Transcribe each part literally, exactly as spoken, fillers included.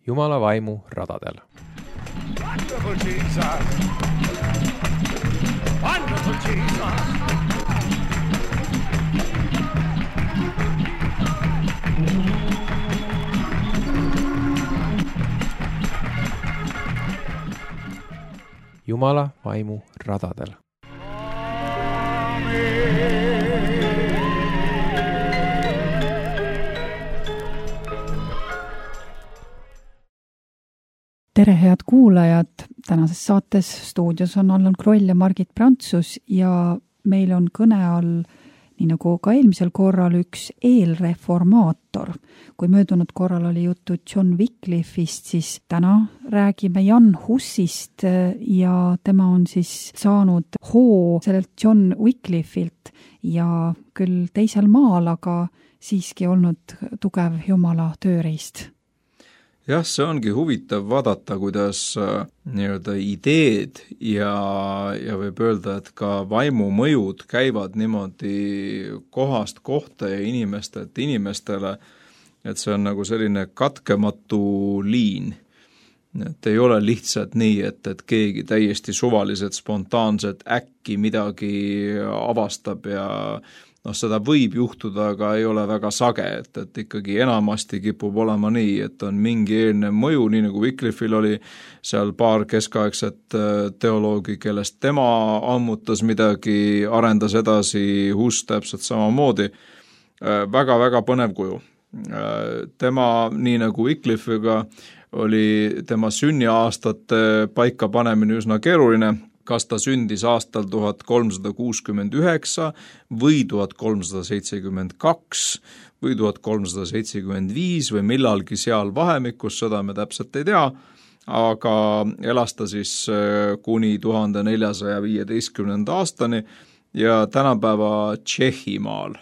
Jumala vaimu radadel. Wonderful Jesus! Wonderful Jesus! Jumala vaimu radadel. Tere, head kuulajad! Tänases saates stuudios on Allan Kroll ja Margit Prantsus ja meil on kõne all, nii nagu ka eelmisel korral, üks eelreformaator. Kui möödunud korral oli juttu John Wycliffe'ist, siis täna räägime Jan Hussist ja tema on siis saanud hoo sellelt John Wycliffe'ilt ja küll teisel maal, aga siiski olnud tugev Jumala tööriist. Jah, see ongi huvitav vaadata, kuidas äh, nii-öelda ideed ja, ja võib öelda, et ka vaimu mõjud käivad niimoodi kohast kohta ja inimestelt inimestele, et see on nagu selline katkematu liin. Et ei ole lihtsalt nii, et, et keegi täiesti suvaliselt, spontaanselt äkki midagi avastab ja noh, seda võib juhtuda, aga ei ole väga sage, et, et ikkagi enamasti kipub olema nii, et on mingi eelnev mõju, nii nagu Wycliffe'il oli seal paar keskaegset teoloogi, kellest tema ammutas midagi, arendas edasi, Huss täpselt samamoodi. Väga-väga põnev kuju. Tema, nii nagu Wycliffe'iga, oli tema sünniaastate paika panemine üsna keeruline, kas ta sündis aastal tuhat kolmsada kuuskümmend üheksa või tuhat kolmsada seitsekümmend kaks või tuhat kolmsada seitsekümmend viis või millalgi seal vahemikus, seda me täpselt ei tea, aga elas ta siis kuni tuhande neljasaja viieteistkümnenda aastani ja tänapäeva Tšehhimaal.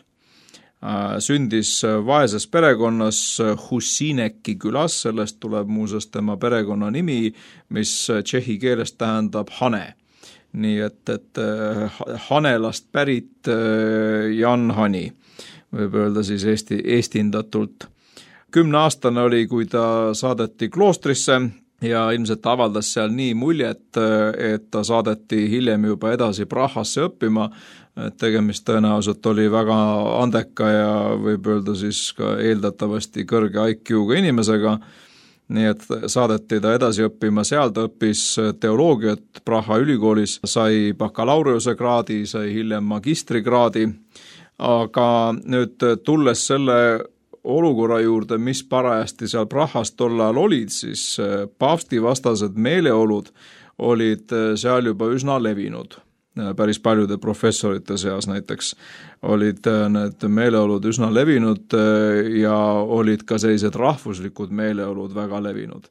Sündis vaeses perekonnas Husineki külas, sellest tuleb muuseas tema perekonna nimi, mis tšehhi keeles tähendab hane. Nii et, et Hanelast pärit Jan Hani, võib öelda siis Eesti, eestindatult. Kümne aastane oli, kui ta saadeti kloostrisse ja ilmselt avaldas seal nii muljet, et ta saadeti hiljem juba edasi Prahasse õppima. Tegemist tõenäoliselt oli väga andeka ja võib öelda siis ka eeldatavasti kõrge I Q-ga inimesega. Nii et saadeti ta edasi õppima, seal ta õppis teoloogiat Praha ülikoolis, sai bakalaureuse kraadi, sai hiljem magistrikraadi, aga nüüd tulles selle olukorra juurde, mis parajasti seal Prahas tol ajal olid, siis paavstivastased meeleolud olid seal juba üsna levinud. Päris paljude professorite seas näiteks olid need meeleolud üsna levinud ja olid ka sellised rahvuslikud meeleolud väga levinud.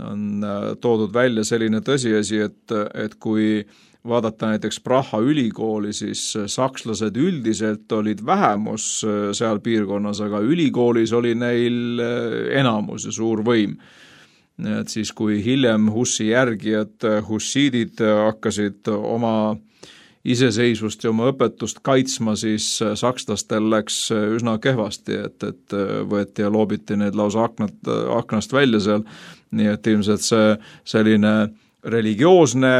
On toodud välja selline tõsiasi, et, et kui vaadata näiteks Praha ülikooli, siis sakslased üldiselt olid vähemus seal piirkonnas, aga ülikoolis oli neil enamus ja suur võim. Et siis kui hiljem Hussi järgijad, hussiidid hakkasid oma iseseisvust ja oma õpetust kaitsma, siis sakslastel läks üsna kehvasti, et, et võeti ja loobiti need lausa aknat, aknast välja seal. Nii et ilmselt see selline religioosne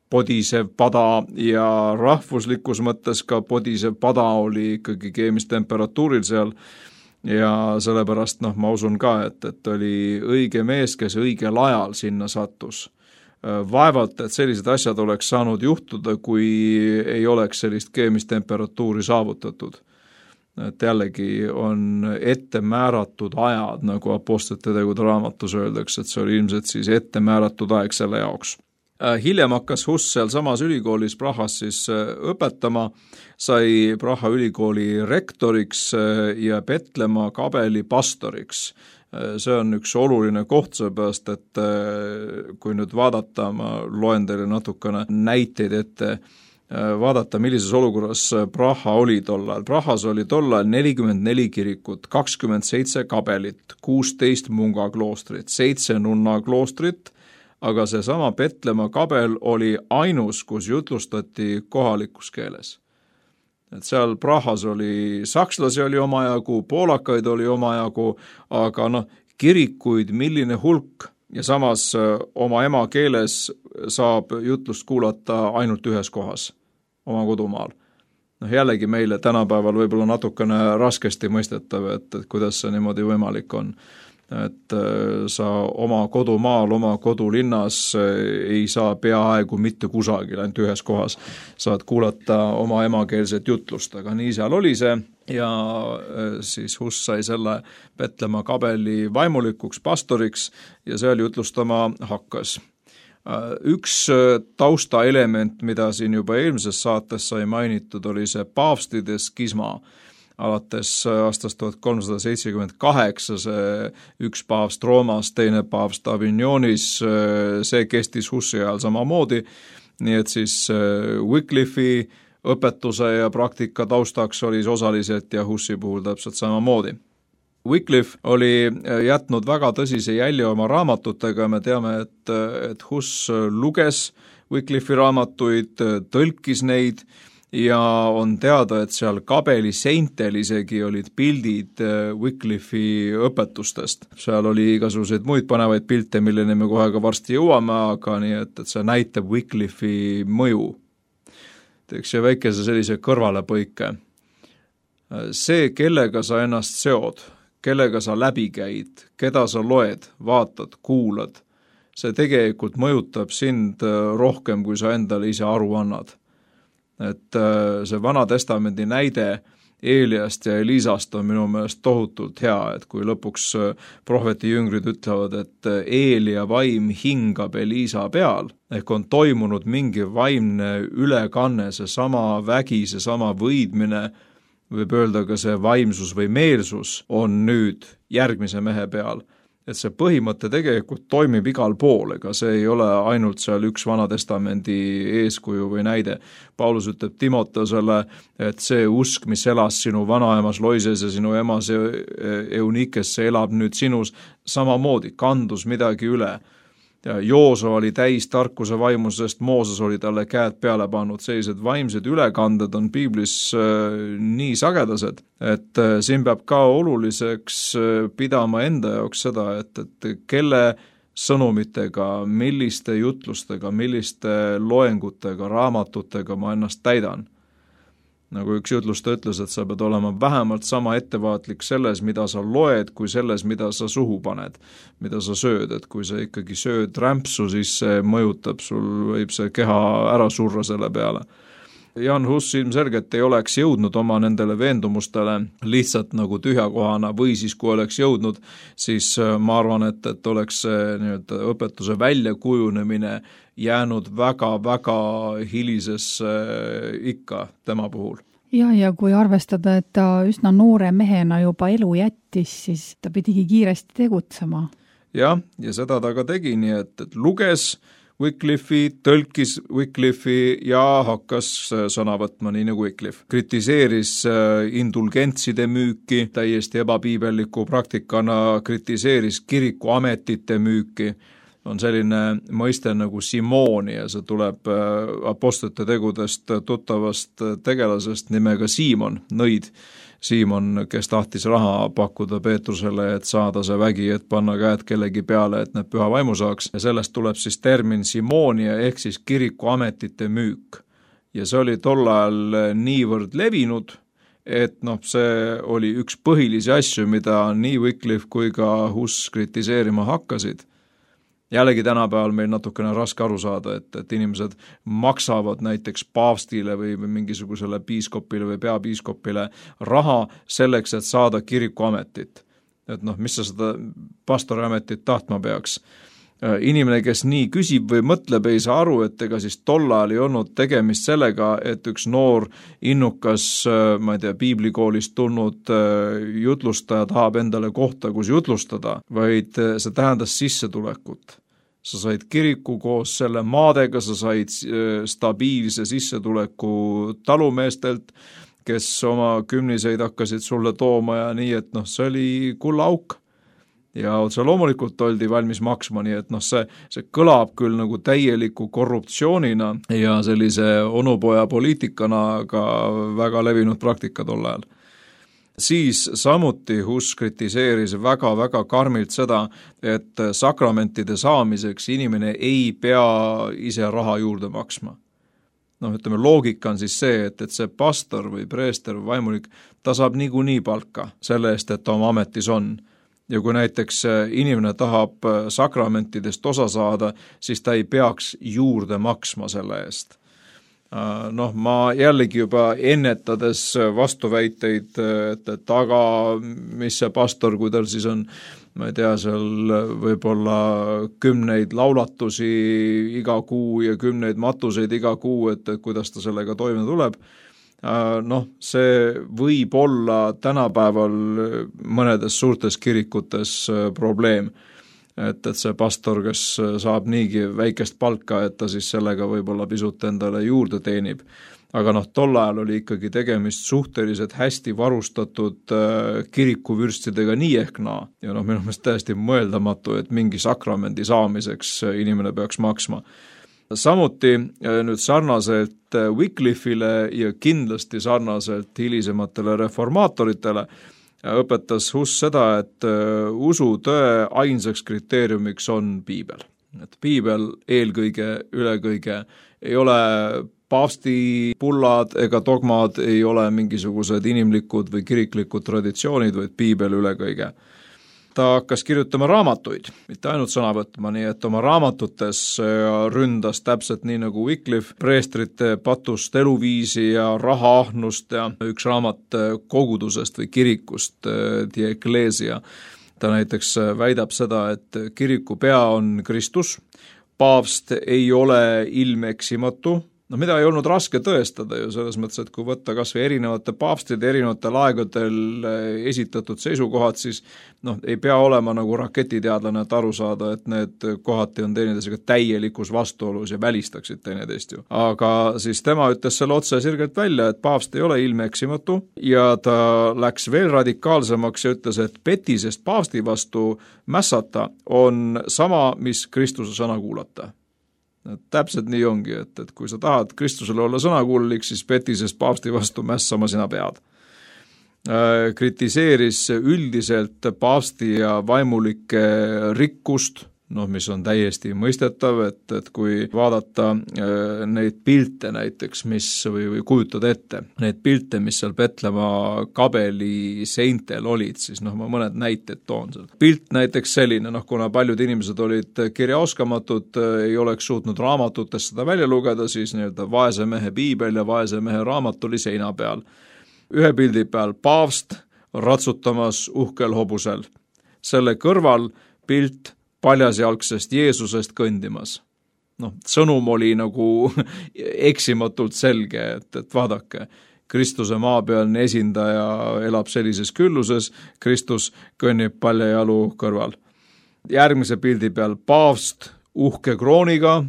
podisev pada ja rahvuslikus mõttes ka podisev pada oli ikkagi keemistemperatuuril seal. Ja sellepärast noh, ma usun ka, et, et oli õige mees, kes õigel ajal sinna sattus. Vaevalt, et sellised asjad oleks saanud juhtuda, kui ei oleks sellist keemistemperatuuri saavutatud. Et jällegi on ette määratud ajad, nagu Apostlite tegude raamatus öeldakse, et see oli ilmselt siis ette määratud aeg selle jaoks. Hiljem hakkas Huss seal samas ülikoolis Prahas siis õpetama, sai Praha ülikooli rektoriks ja Petlemma kabeli pastoriks. See on üks oluline koht, seepärast, et kui nüüd vaadata, ma loen teile natukene näiteid ette, vaadata, millises olukorras Praha oli tol ajal. Prahas oli tol ajal nelikümmend neli kirikut, kakskümmend seitse kabelit, kuusteist munga kloostrit, seitse nunna kloostrit, aga see sama Petlemma kabel oli ainus, kus jutlustati kohalikus keeles. Et seal Prahas oli sakslasi oli omajagu, poolakaid oli omajagu, aga noh, kirikuid milline hulk ja samas oma emakeeles saab jutlust kuulata ainult ühes kohas, oma kodumaal. Noh, jällegi meile tänapäeval võib-olla natukene raskesti mõistetav, et, et kuidas see niimoodi võimalik on. Et sa oma kodumaal, oma kodulinnas ei saa peaaegu mitte kusagil, ainult ühes kohas saad kuulata oma emakeelset jutlust, aga nii seal oli see ja siis Huss sai selle Petlemma Kabeli vaimulikuks pastoriks ja seal jutlustama hakkas. Üks taustaelement, mida siin juba eelmises saates sai mainitud, oli see paavstide skisma. Alates aastast tuhat kolmsada seitsekümmend kaheksa see üks paavst Roomas, teine paavst Avignonis, see kestis Hussi ajal samamoodi, nii et siis Wycliffe'i õpetuse ja praktika taustaks oli osaliselt ja Hussi puhul täpselt samamoodi. Wycliffe oli jätnud väga tõsise jälje oma raamatutega, me teame, et, et Huss luges Wycliffe'i raamatuid, tõlkis neid ja on teada, et seal kabeli seintel isegi olid pildid Wycliffe'i õpetustest. Seal oli igasuguseid muid panevaid pilte, milleni me kohe ka varsti jõuame, aga nii, et, et see näitab Wycliffe'i mõju. Teeks see väikese sellise kõrvalepõike. See, kellega sa ennast seod, kellega sa läbi käid, keda sa loed, vaatad, kuulad, see tegelikult mõjutab sind rohkem, kui sa endale ise aru annad. Et see Vana Testamendi näide Eeliast ja Elisast on minu meelest tohutult hea, et kui lõpuks prohveti jüngrid ütlevad, et Eelia vaim hingab Elisa peal, ehk on toimunud mingi vaimne ülekanne, see sama vägi, see sama võidmine, võib öelda ka see vaimsus või meelsus on nüüd järgmise mehe peal. Et see põhimõte tegelikult toimib igal pool, ega see ei ole ainult seal üks Vana Testamendi eeskuju või näide. Paulus ütleb Timoteusele, et see usk, mis elas sinu vanaemas Loises ja sinu emas Eunikesse, elab nüüd sinus samamoodi, kandus midagi üle. Ja Jooso oli täis tarkuse vaimusest, Mooses oli talle käed peale pannud, sellised vaimsed ülekanded on piiblis äh, nii sagedased, et äh, siin peab ka oluliseks äh, pidama enda jaoks seda, et, et kelle sõnumitega, milliste jutlustega, milliste loengutega, raamatutega ma ennast täidan. Nagu üks jutlusta ütles, et sa pead olema vähemalt sama ettevaatlik selles, mida sa loed, kui selles, mida sa suhu paned, mida sa sööd, et kui sa ikkagi sööd rämpsu, siis see mõjutab, sul võib see keha ära surra selle peale. Jan Hus ilmselgelt ei oleks jõudnud oma nendele veendumustele lihtsalt nagu tühjakohana või siis kui oleks jõudnud, siis ma arvan, et, et oleks nii-öelda õpetuse väljakujunemine jäänud väga-väga hilisesse ikka tema puhul. Ja, ja kui arvestada, et ta üsna noore mehena juba elu jättis, siis ta pidigi kiiresti tegutsema. Ja, ja seda ta ka tegi, nii et, et luges Wycliffe'i, tõlkis Wycliffe'i ja hakkas sõna võtma nii nagu Wycliffe. Kritiseeris indulgentside müüki, täiesti ebapiibelliku praktikana kritiseeris kirikuametite müüki. On selline mõiste nagu Simoni ja see tuleb apostlite tegudest tuttavast tegelasest nimega Siimon, nõid. Siimon, kes tahtis raha pakkuda Peetrusele, et saada see vägi, et panna käed kellegi peale, et need püha vaimu saaks. Ja sellest tuleb siis termin Simonia ehk siis kirikuametite müük. Ja see oli tol ajal niivõrd levinud, et noh, see oli üks põhilisi asju, mida nii Wycliffe kui ka Huss kritiseerima hakkasid. Jällegi tänapäeval meil natukene raske aru saada, et, et inimesed maksavad näiteks paavstile või, või mingisugusele piiskopile või peapiiskopile raha selleks, et saada kirikuametit. Et noh, mis sa seda pastoriametit tahtma peaks? Inimene, kes nii küsib või mõtleb, ei saa aru, et ega siis tol ajal ei olnud tegemist sellega, et üks noor innukas, ma ei tea, piiblikoolist tulnud jutlustaja tahab endale kohta, kus jutlustada, vaid see tähendas sissetulekut. Sa said kiriku koos selle maadega, sa said stabiilse sissetuleku talumeestelt, kes oma kümniseid hakkasid sulle tooma ja nii, et noh, see oli kullaauk. Ja otse loomulikult oldi valmis maksma, nii et noh, see, see kõlab küll nagu täieliku korruptsioonina ja sellise onupoja poliitikana, aga väga levinud praktika tol ajal. Siis samuti Hus kritiseeris väga-väga karmilt seda, et sakramentide saamiseks inimene ei pea ise raha juurde maksma. Noh, ütleme, loogika on siis see, et, et see pastor või preester või vaimulik, ta saab niikuinii palka selle eest, et ta oma ametis on. Ja kui näiteks inimene tahab sakramentidest osa saada, siis ta ei peaks juurde maksma selle eest. Noh, ma jällegi juba ennetades vastuväiteid, et, et aga mis see pastor, kui tal siis on, ma ei tea, seal võib-olla kümneid laulatusi iga kuu ja kümneid matuseid iga kuu, et, et kuidas ta sellega toime tuleb. Noh, see võib olla tänapäeval mõnedes suurtes kirikutes probleem, et, et see pastor, kes saab niigi väikest palka, et ta siis sellega võib-olla pisut endale juurde teenib. Aga noh, tol ajal oli ikkagi tegemist suhteliselt hästi varustatud kirikuvürstidega nii ehk naa. Ja noh, minu meelest täiesti mõeldamatu, et mingi sakramendi saamiseks inimene peaks maksma. Samuti nüüd sarnaselt Wycliffe'ile ja kindlasti sarnaselt hilisematele reformaatoritele õpetas Hus seda, et usu tõe ainsaks kriteeriumiks on piibel. Et piibel eelkõige, ülekõige ei ole paavsti pullad ega dogmad, ei ole mingisugused inimlikud või kiriklikud traditsioonid, vaid piibel ülekõige. Ta hakkas kirjutama raamatuid, mitte ainult sõna võtma, nii et oma raamatutes ründas täpselt nii nagu Wycliffe preestrite patust eluviisi ja rahaahnust ja üks raamat kogudusest või kirikust, Die Ecclesia. Ta näiteks väidab seda, et kiriku pea on Kristus, paavst ei ole ilmeksimatu, no mida ei olnud raske tõestada ju selles mõttes, et kui võtta kas või erinevate paavstide erinevatel aegadel esitatud seisukohad, siis noh, ei pea olema nagu raketiteadlane, et aru saada, et need kohati on teineteisega täielikus vastuolus ja välistaksid teineteist ju. Aga siis tema ütles selle otse sirgelt välja, et paavst ei ole ilmeeksimatu ja ta läks veel radikaalsemaks ja ütles, et petisest paavsti vastu mässata on sama, mis Kristuse sõna kuulata. Täpselt nii ongi, et, et kui sa tahad Kristusele olla sõnakuulik, siis petisest paavsti vastu mässama sina pead. Kritiseeris üldiselt paavsti ja vaimulike rikkust, noh, mis on täiesti mõistetav, et, et kui vaadata neid pilte näiteks, mis või, või kujutada ette, neid pilte, mis seal Petlemma kabeli seintel olid, siis noh, ma mõned näited toon seal. Pilt näiteks selline, noh, kuna paljud inimesed olid kirjaoskamatud, ei oleks suutnud raamatutest seda välja lugeda, siis nii-öelda vaese mehe piibel ja vaese mehe raamat oli seina peal. Ühe pildi peal paavst ratsutamas uhkel hobusel. Selle kõrval pilt paljasjalgsest Jeesusest kõndimas. Noh, sõnum oli nagu eksimatult selge, et, et vaadake, Kristuse maapealne esindaja elab sellises külluses, Kristus kõnnib paljajalu kõrval. Järgmise pildi peal paavst uhke krooniga,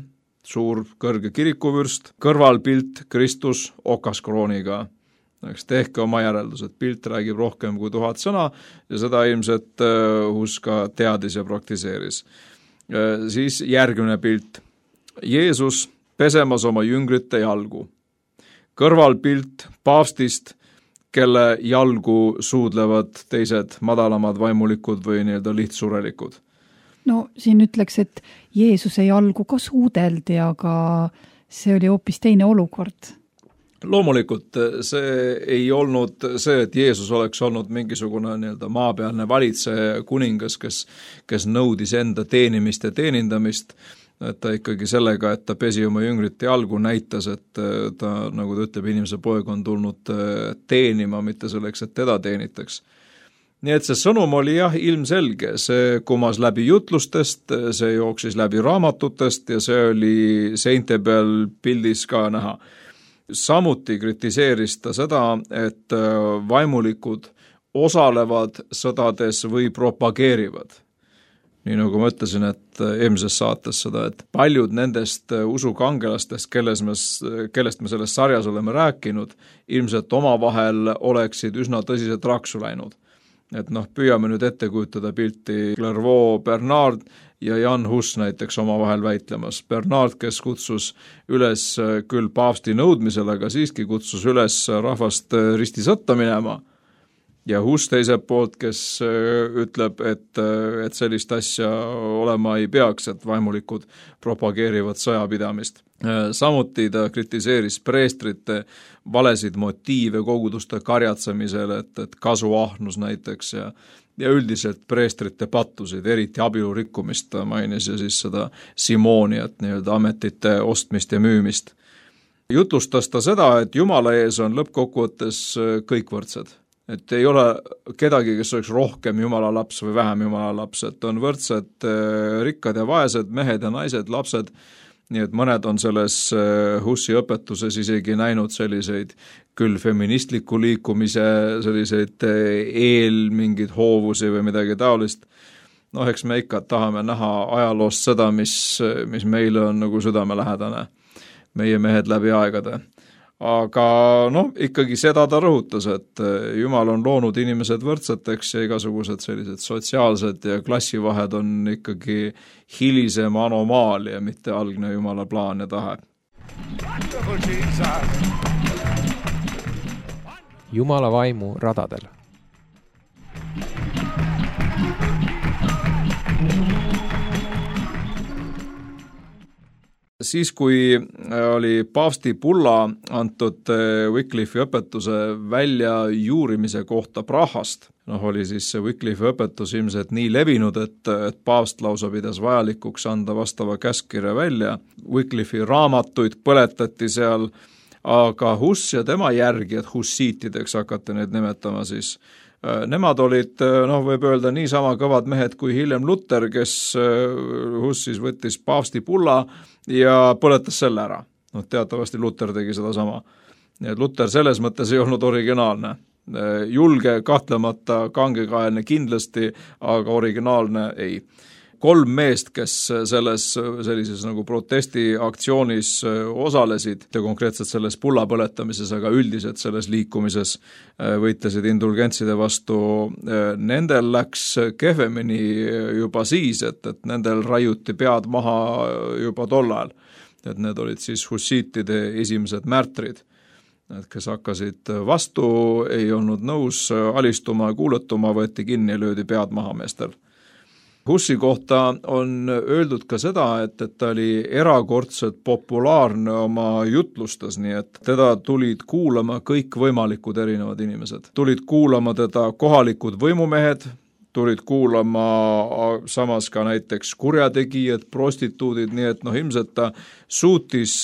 suur kõrge kirikuvürst, kõrvalpilt Kristus okas krooniga. Eks tehke oma järeldused, pilt räägib rohkem kui tuhat sõna ja seda ilmselt Hus ka teadis ja praktiseeris. Siis järgmine pilt. Jeesus pesemas oma jüngrite jalgu. Kõrvalpilt paavstist, kelle jalgu suudlevad teised madalamad vaimulikud või nii-öelda lihtsurelikud. No siin ütleks, et Jeesuse jalgu ka suudeldi, aga see oli hoopis teine olukord. Loomulikult see ei olnud see, et Jeesus oleks olnud mingisugune nii-öelda maapealne valitseja kuningas, kes, kes nõudis enda teenimist ja teenindamist, et ta ikkagi sellega, et ta pesi oma jüngrite jalgu, näitas, et ta, nagu ta ütleb, inimese poeg on tulnud teenima, mitte selleks, et teda teenitaks. Nii et see sõnum oli jah ilmselge, see kumas läbi jutlustest, see jooksis läbi raamatutest ja see oli seinte peal pildis ka näha. Samuti kritiseeris ta seda, et vaimulikud osalevad sõdades või propageerivad. Nii nagu ma ütlesin, et eelmises saates seda, et paljud nendest usukangelastest, kelles me, kellest me selles sarjas oleme rääkinud, ilmselt omavahel oleksid üsna tõsiselt raksu läinud. Et noh, püüame nüüd ette kujutada pilti Clairvaux Bernard ja Jan Hus näiteks omavahel väitlemas. Bernard, kes kutsus üles küll paavsti nõudmisel, aga siiski kutsus üles rahvast ristisõtta minema. ja Hus teiselt poolt, kes ütleb, et, et sellist asja olema ei peaks, et vaimulikud propageerivad sõjapidamist. Samuti ta kritiseeris preestrite valesid motiive koguduste karjatsemisel, et, et kasuahnus näiteks ja, ja üldiselt preestrite pattusid, eriti abielu rikkumist ta mainis ja siis seda simooniat, nii-öelda ametite ostmist ja müümist. Jutustas ta seda, et Jumala ees on lõppkokkuvõttes kõik võrdsed. Et ei ole kedagi, kes oleks rohkem Jumala laps või vähem Jumala laps, et on võrdsed rikkad ja vaesed, mehed ja naised, lapsed, nii et mõned on selles Hussi õpetuses isegi näinud selliseid küll feministliku liikumise, selliseid eel mingeid hoovusi või midagi taolist. noh, eks me ikka tahame näha ajaloost seda, mis, mis meile on nagu südamelähedane, meie mehed läbi aegade. Aga noh, ikkagi seda ta rõhutas, et Jumal on loonud inimesed võrdseteks ja igasugused sellised sotsiaalsed ja klassivahed on ikkagi hilisem anomaalia, mitte algne Jumala plaan ja tahe. Jumala vaimu radadel. Siis, kui oli paavsti bulla antud Wycliffe'i õpetuse välja juurimise kohta Prahast, noh, oli siis see Wycliffe'i õpetus ilmselt nii levinud, et, et paavst lausa pidas vajalikuks anda vastava käskkirja välja. Wycliffe'i raamatuid põletati seal, aga Hus ja tema järgijad, hussiitideks hakati neid nimetama siis, nemad olid, noh, võib öelda niisama kõvad mehed kui hiljem Luther, kes Hus siis võttis paavsti bulla ja põletas selle ära. noh, teatavasti Luther tegi seda sama. nii et Luther selles mõttes ei olnud originaalne. Julge, kahtlemata, kangekaelne kindlasti, aga originaalne ei. Kolm meest, kes selles sellises nagu protestiaktsioonis osalesid ja konkreetselt selles bulla põletamises, aga üldiselt selles liikumises võitlesid indulgentside vastu, nendel läks kehvemini juba siis, et, et nendel raiuti pead maha juba tol ajal. Et need olid siis hussiitide esimesed märtrid, et kes hakkasid vastu, ei olnud nõus alistuma ja kuuletuma, võeti kinni ja löödi pead maha meestel. Hussi kohta on öeldud ka seda, et, et ta oli erakordselt populaarne oma jutlustes, nii et teda tulid kuulama kõik võimalikud erinevad inimesed. Tulid kuulama teda kohalikud võimumehed, tulid kuulama samas ka näiteks kurjategijad, prostituudid, nii et noh, ilmselt ta suutis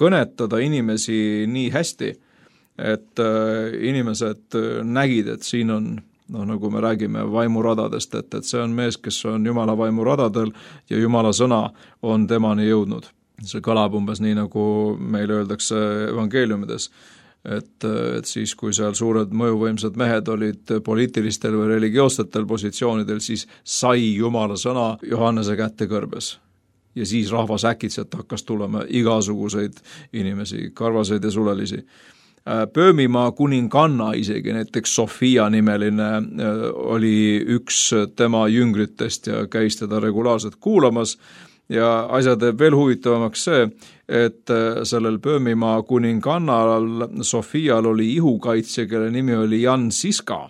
kõnetada inimesi nii hästi, et inimesed nägid, et siin on noh, nagu me räägime vaimuradadest, et, et see on mees, kes on Jumala vaimuradadel ja Jumala sõna on temani jõudnud. See kõlab umbes nii, nagu meile öeldakse evangeeliumides, et, et siis, kui seal suured mõjuvõimsad mehed olid poliitilistel või religioossetel positsioonidel, siis sai Jumala sõna Johannese kätte kõrbes. Ja siis rahvas äkitselt hakkas tulema igasuguseid inimesi, karvaseid ja sulelisi. Pöömimaa kuninganna isegi, näiteks Sofia nimeline, oli üks tema jüngritest ja käis teda regulaarselt kuulamas ja asja teeb veel huvitavamaks see, et sellel Pöömimaa kuningannal Sofial oli ihukaitsja, kelle nimi oli Jan Siska.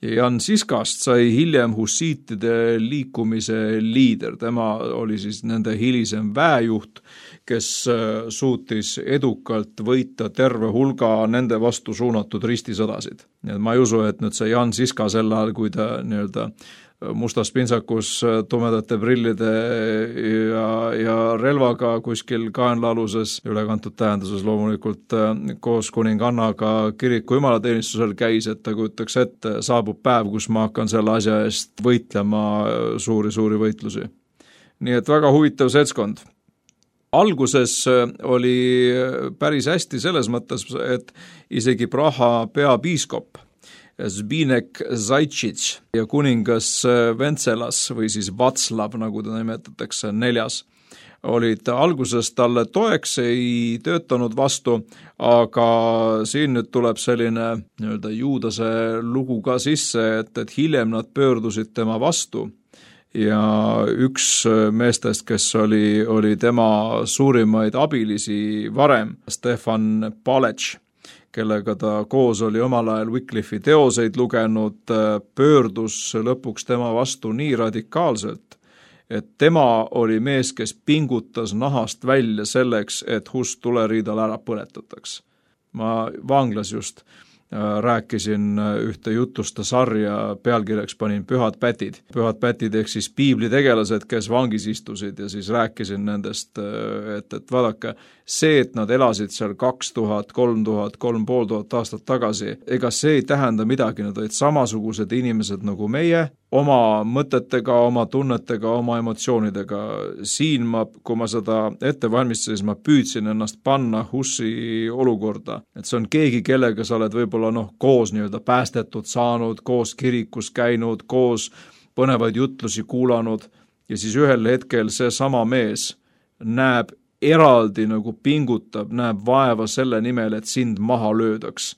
Ja Jan Siskast sai hiljem hussiitide liikumise liider, tema oli siis nende hilisem väejuht, kes suutis edukalt võita terve hulga nende vastu suunatud ristisõdasid. Nii et ma ei usu, et nüüd see Jan Siska sel ajal, kui ta nii-öelda mustas pintsakus tumedate prillide ja, ja relvaga kuskil kaenlaaluses, ülekantud tähenduses loomulikult koos kuningannaga kiriku jumalateenistusel käis, et ta kujutaks ette, saabub päev, kus ma hakkan selle asja eest võitlema suuri-suuri võitlusi. Nii et väga huvitav seltskond. Alguses oli päris hästi selles mõttes, et isegi Praha peapiiskop Zbigniew Zaitšits ja kuningas Ventselas või siis Vatslav, nagu ta nimetatakse, neljas, olid alguses talle toeks, ei töötanud vastu, aga siin nüüd tuleb selline nii-öelda juudase lugu ka sisse, et, et hiljem nad pöördusid tema vastu. Ja üks meestest, kes oli, oli tema suurimaid abilisi varem, Stefan Palec, kellega ta koos oli omal ajal Wycliffi teoseid lugenud, pöördus lõpuks tema vastu nii radikaalselt, et tema oli mees, kes pingutas nahast välja selleks, et Hus tuleriidal ära põletataks. Ma vanglas just rääkisin ühte jutusta sarja, pealkirjaks panin Pühad pätid. Pühad pätid ehk siis piiblitegelased, kes vangis istusid ja siis rääkisin nendest, et, et vaadake, see, et nad elasid seal kaks tuhat, kolm tuhat, kolm pool tuhat aastat tagasi, ega see ei tähenda midagi, nad olid samasugused inimesed nagu meie, oma mõtetega, oma tunnetega, oma emotsioonidega. Siin ma, kui ma seda ette valmistasin, ma püüdsin ennast panna Hussi olukorda, et see on keegi, kellega sa oled võib-olla noh, koos nii-öelda päästetud saanud, koos kirikus käinud, koos põnevaid jutlusi kuulanud ja siis ühel hetkel see sama mees näeb eraldi nagu pingutab, näeb vaeva selle nimel, et sind maha löödaks.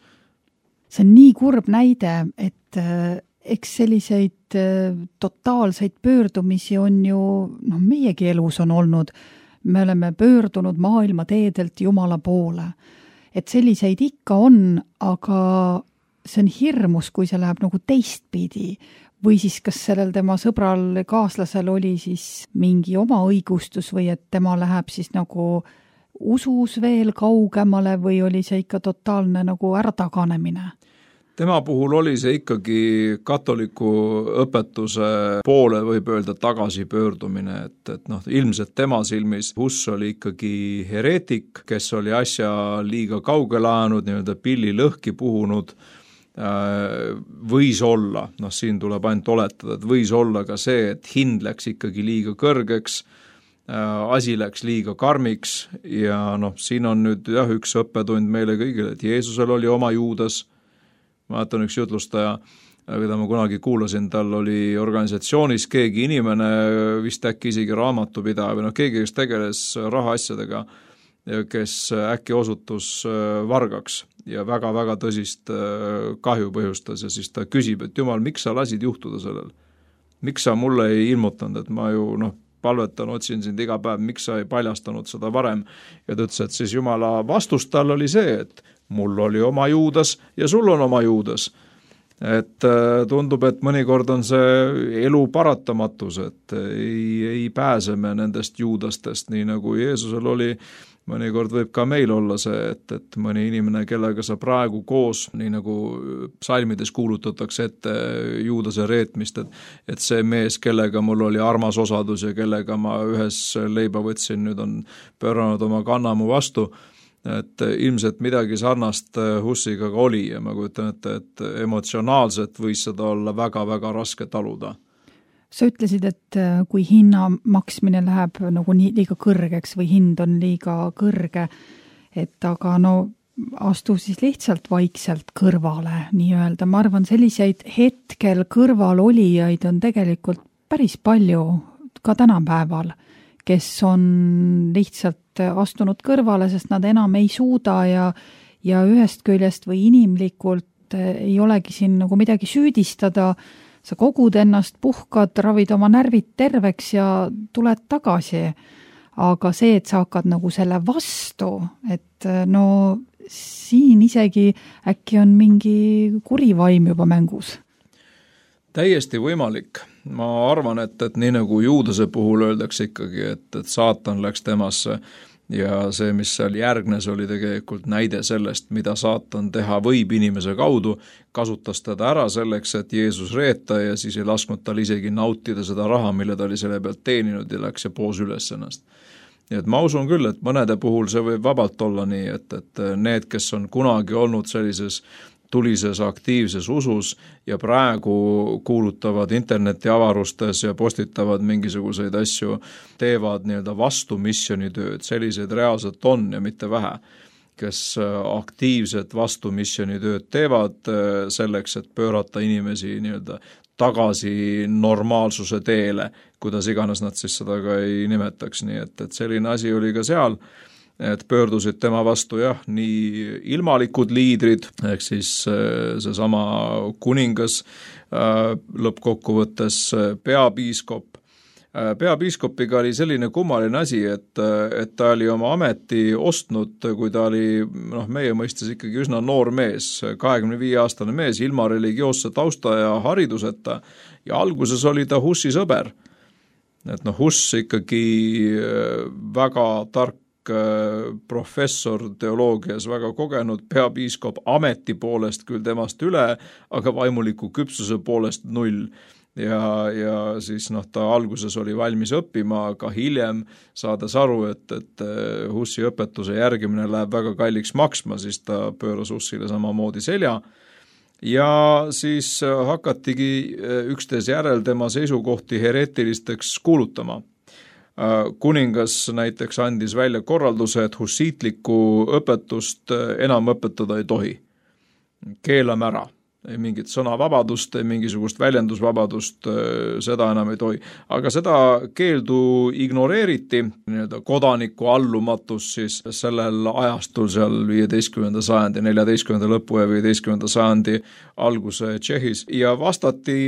See on nii kurb näide, et eks selliseid totaalseid pöördumisi on ju, noh, meiegi elus on olnud. Me oleme pöördunud maailma teedelt Jumala poole. Et selliseid ikka on, aga see on hirmus, kui see läheb nagu teistpidi. Või siis kas sellel tema sõbral kaaslasel oli siis mingi oma õigustus või et tema läheb siis nagu usus veel kaugemale või oli see ikka totaalne nagu ärataganemine? Tema puhul oli see ikkagi katoliku õpetuse poole võib öelda tagasipöördumine, et, et noh, ilmselt tema silmis Hus oli ikkagi hereetik, kes oli asja liiga kaugele ajanud, nii-öelda pilli lõhki puhunud, võis olla, noh siin tuleb ainult oletada, et võis olla ka see, et hind läks ikkagi liiga kõrgeks, asi läks liiga karmiks ja noh, siin on nüüd jah, üks õppetund meile kõigile, et Jeesusel oli oma Juudas. Ma mäletan üks jutlustaja, keda ma kunagi kuulasin, tal oli organisatsioonis keegi inimene, vist äkki isegi raamatupidaja või noh, keegi, kes tegeles rahaasjadega, kes äkki osutus vargaks ja väga-väga tõsist kahju põhjustas ja siis ta küsib, et Jumal, miks sa lasid juhtuda sellel? Miks sa mulle ei ilmutanud, et ma ju noh, palvetan, otsin sind iga päev, miks sa ei paljastanud seda varem? Ja ta ütles, et siis Jumala vastus tal oli see, et mul oli oma Juudas ja sul on oma Juudas. Et tundub, et mõnikord on see elu paratamatus, et ei, ei pääse me nendest Juudastest, nii nagu Jeesusel oli. Mõnikord võib ka meil olla see, et, et mõni inimene, kellega sa praegu koos, nii nagu psalmides kuulutatakse ette Juudase reetmist, et, et see mees, kellega mul oli armas osadus ja kellega ma ühes leiba võtsin, nüüd on pööranud oma kannamu vastu, et ilmselt midagi sarnast Hussiga ka oli ja ma kujutan ette, et emotsionaalselt võis seda olla väga-väga raske taluda. Sa ütlesid, et kui hinna maksmine läheb nagu nii liiga kõrgeks või hind on liiga kõrge, et aga no astu siis lihtsalt vaikselt kõrvale nii-öelda. Ma arvan, selliseid hetkel kõrvalolijaid on tegelikult päris palju ka tänapäeval, kes on lihtsalt astunud kõrvale, sest nad enam ei suuda ja, ja ühest küljest või inimlikult ei olegi siin nagu midagi süüdistada. Sa kogud ennast, puhkad, ravid oma närvid terveks ja tuled tagasi. Aga see, et sa hakkad nagu selle vastu, et no siin isegi äkki on mingi kurivaim juba mängus. Täiesti võimalik. Ma arvan, et, et nii nagu Juudase puhul öeldakse ikkagi, et, et saatan läks temasse ja see, mis seal järgnes, oli tegelikult näide sellest, mida saatan teha võib inimese kaudu, kasutas teda ära selleks, et Jeesus reeta ja siis ei lasknud tal isegi nautida seda raha, mille ta oli selle pealt teeninud ja läks ja poos üles ennast. Ja et ma usun küll, et mõnede puhul see võib vabalt olla nii, et, et need, kes on kunagi olnud sellises tulises aktiivses usus ja praegu kuulutavad internetiavarustes ja postitavad mingisuguseid asju, teevad nii-öelda vastu missionitööd, selliseid reaalselt on ja mitte vähe, kes aktiivset vastu missionitööd teevad selleks, et pöörata inimesi nii-öelda tagasi normaalsuse teele, kuidas iganes nad siis seda ka ei nimetaks, nii et, et selline asi oli ka seal, et pöördusid tema vastu jah, nii ilmalikud liidrid, ehk siis see sama kuningas, lõppkokkuvõttes peapiiskop, Peapiiskopiga oli selline kummaline asi, et, et ta oli oma ameti ostnud, kui ta oli noh, meie mõistes ikkagi üsna noor mees, kahekümne viie aastane mees, ilma religioosse tausta ja hariduseta ja alguses oli ta Hussi sõber. Et noh, Huss ikkagi väga tark professor teoloogias, väga kogenud peapiiskop ameti poolest küll temast üle, aga vaimuliku küpsuse poolest null. Ja, ja siis noh, ta alguses oli valmis õppima, aga hiljem saades aru, et, et Hussi õpetuse järgimine läheb väga kalliks maksma, siis ta pööras Hussile samamoodi selja. Ja siis hakatigi üksteise järel tema seisukohti hereetilisteks kuulutama. Kuningas näiteks andis välja korralduse, et hussiitlikku õpetust enam õpetada ei tohi. Keelame ära. Ei mingit sõnavabadust, ei mingisugust väljendusvabadust, seda enam ei tohi. Aga seda keeldu ignoreeriti, nii-öelda kodaniku allumatus siis sellel ajastul seal viieteistkümnenda sajandi, neljateistkümnenda lõpu ja viieteistkümnenda sajandi alguse Tšehhis ja vastati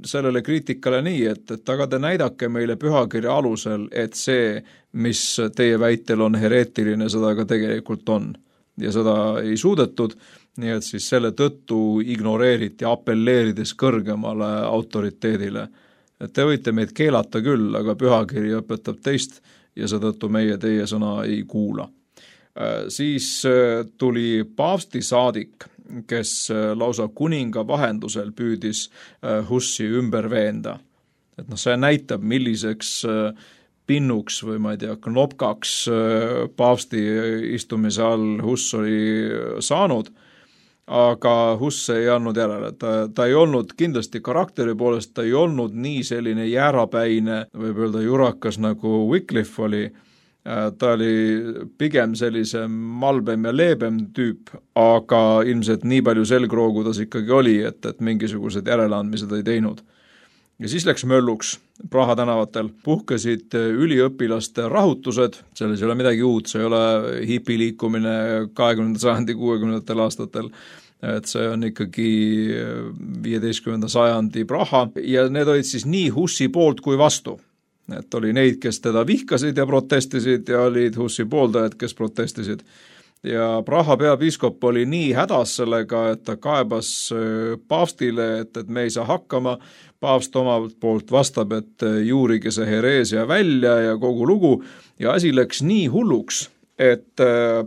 sellele kriitikale nii, et, et aga te näidake meile pühakirja alusel, et see, mis teie väitel on hereetiline, seda ka tegelikult on. Ja seda ei suudetud, nii et siis selle tõttu ignoreeriti apelleerides kõrgemale autoriteedile. Et te võite meid keelata küll, aga pühakiri õpetab teist ja seetõttu meie teie sõna ei kuula. Siis tuli paavsti saadik, kes lausa kuninga vahendusel püüdis Hussi ümber veenda. Et noh, see näitab, milliseks pinnuks või ma ei tea, knopkaks paavsti istumise all Huss oli saanud, aga Huss ei andnud järele. Ta, ta ei olnud kindlasti karakteri poolest, ta ei olnud nii selline jäärapäine, võib öelda jurakas nagu Wycliffe oli. Ta oli pigem sellise malbem ja leebem tüüp, aga ilmselt nii palju selgroogu tas ikkagi oli, et, et mingisugused järeleandmised ei teinud. Ja siis läks mölluks Praha tänavatel, puhkesid üliõpilaste rahutused, selles ei ole midagi uut, see ei ole hipiliikumine kahekümnenda sajandi kuuekümnendatel aastatel, et see on ikkagi viieteistkümnenda sajandi Praha ja need olid siis nii Hussi poolt kui vastu. Et oli neid, kes teda vihkasid ja protestisid ja olid Hussi pooldajad, kes protestisid. Ja Praha peapiiskop oli nii hädas sellega, et ta kaebas paavstile, et, et me ei saa hakkama. Paavst omalt poolt vastab, et juurige see hereesia välja ja kogu lugu. Ja asi läks nii hulluks, et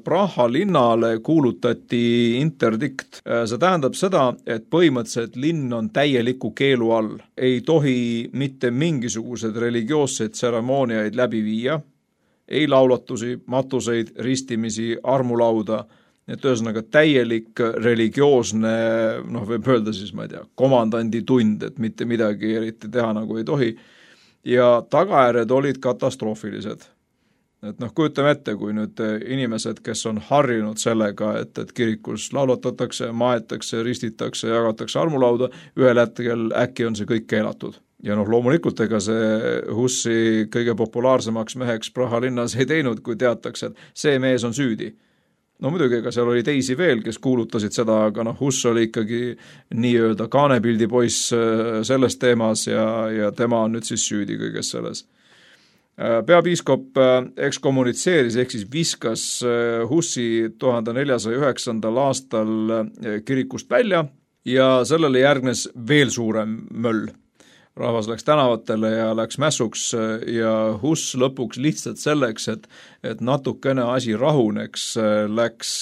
Praha linnale kuulutati interdikt. See tähendab seda, et põhimõtteliselt linn on täieliku keelu all. Ei tohi mitte mingisugused religioosseid tseremooniaid läbi viia. Ei laulatusi, matuseid, ristimisi, armulauda, et ühesõnaga täielik religioosne, noh võib öelda siis, ma ei tea, komandandi tund, et mitte midagi eriti teha nagu ei tohi. Ja tagajärjed olid katastroofilised. Et noh, kujutame ette, kui nüüd inimesed, kes on harjunud sellega, et, et kirikus laulatatakse, maetakse, ristitakse, jagatakse armulauda, ühel hetkel äkki on see kõik keelatud. Ja noh, loomulikult ega see Hussi kõige populaarsemaks meheks Praha linnas ei teinud, kui teatakse, et see mees on süüdi. No muidugi, ega seal oli teisi veel, kes kuulutasid seda, aga noh, Huss oli ikkagi nii-öelda kaanepildi poiss selles teemas ja, ja tema on nüüd siis süüdi kõiges selles. Peapiiskop ekskommunitseeris ehk siis viskas Hussi tuhande neljasaja üheksandal aastal kirikust välja ja sellele järgnes veel suurem möll. Rahvas läks tänavatele ja läks mässuks ja Huss lõpuks lihtsalt selleks, et, et natukene asi rahuneks, läks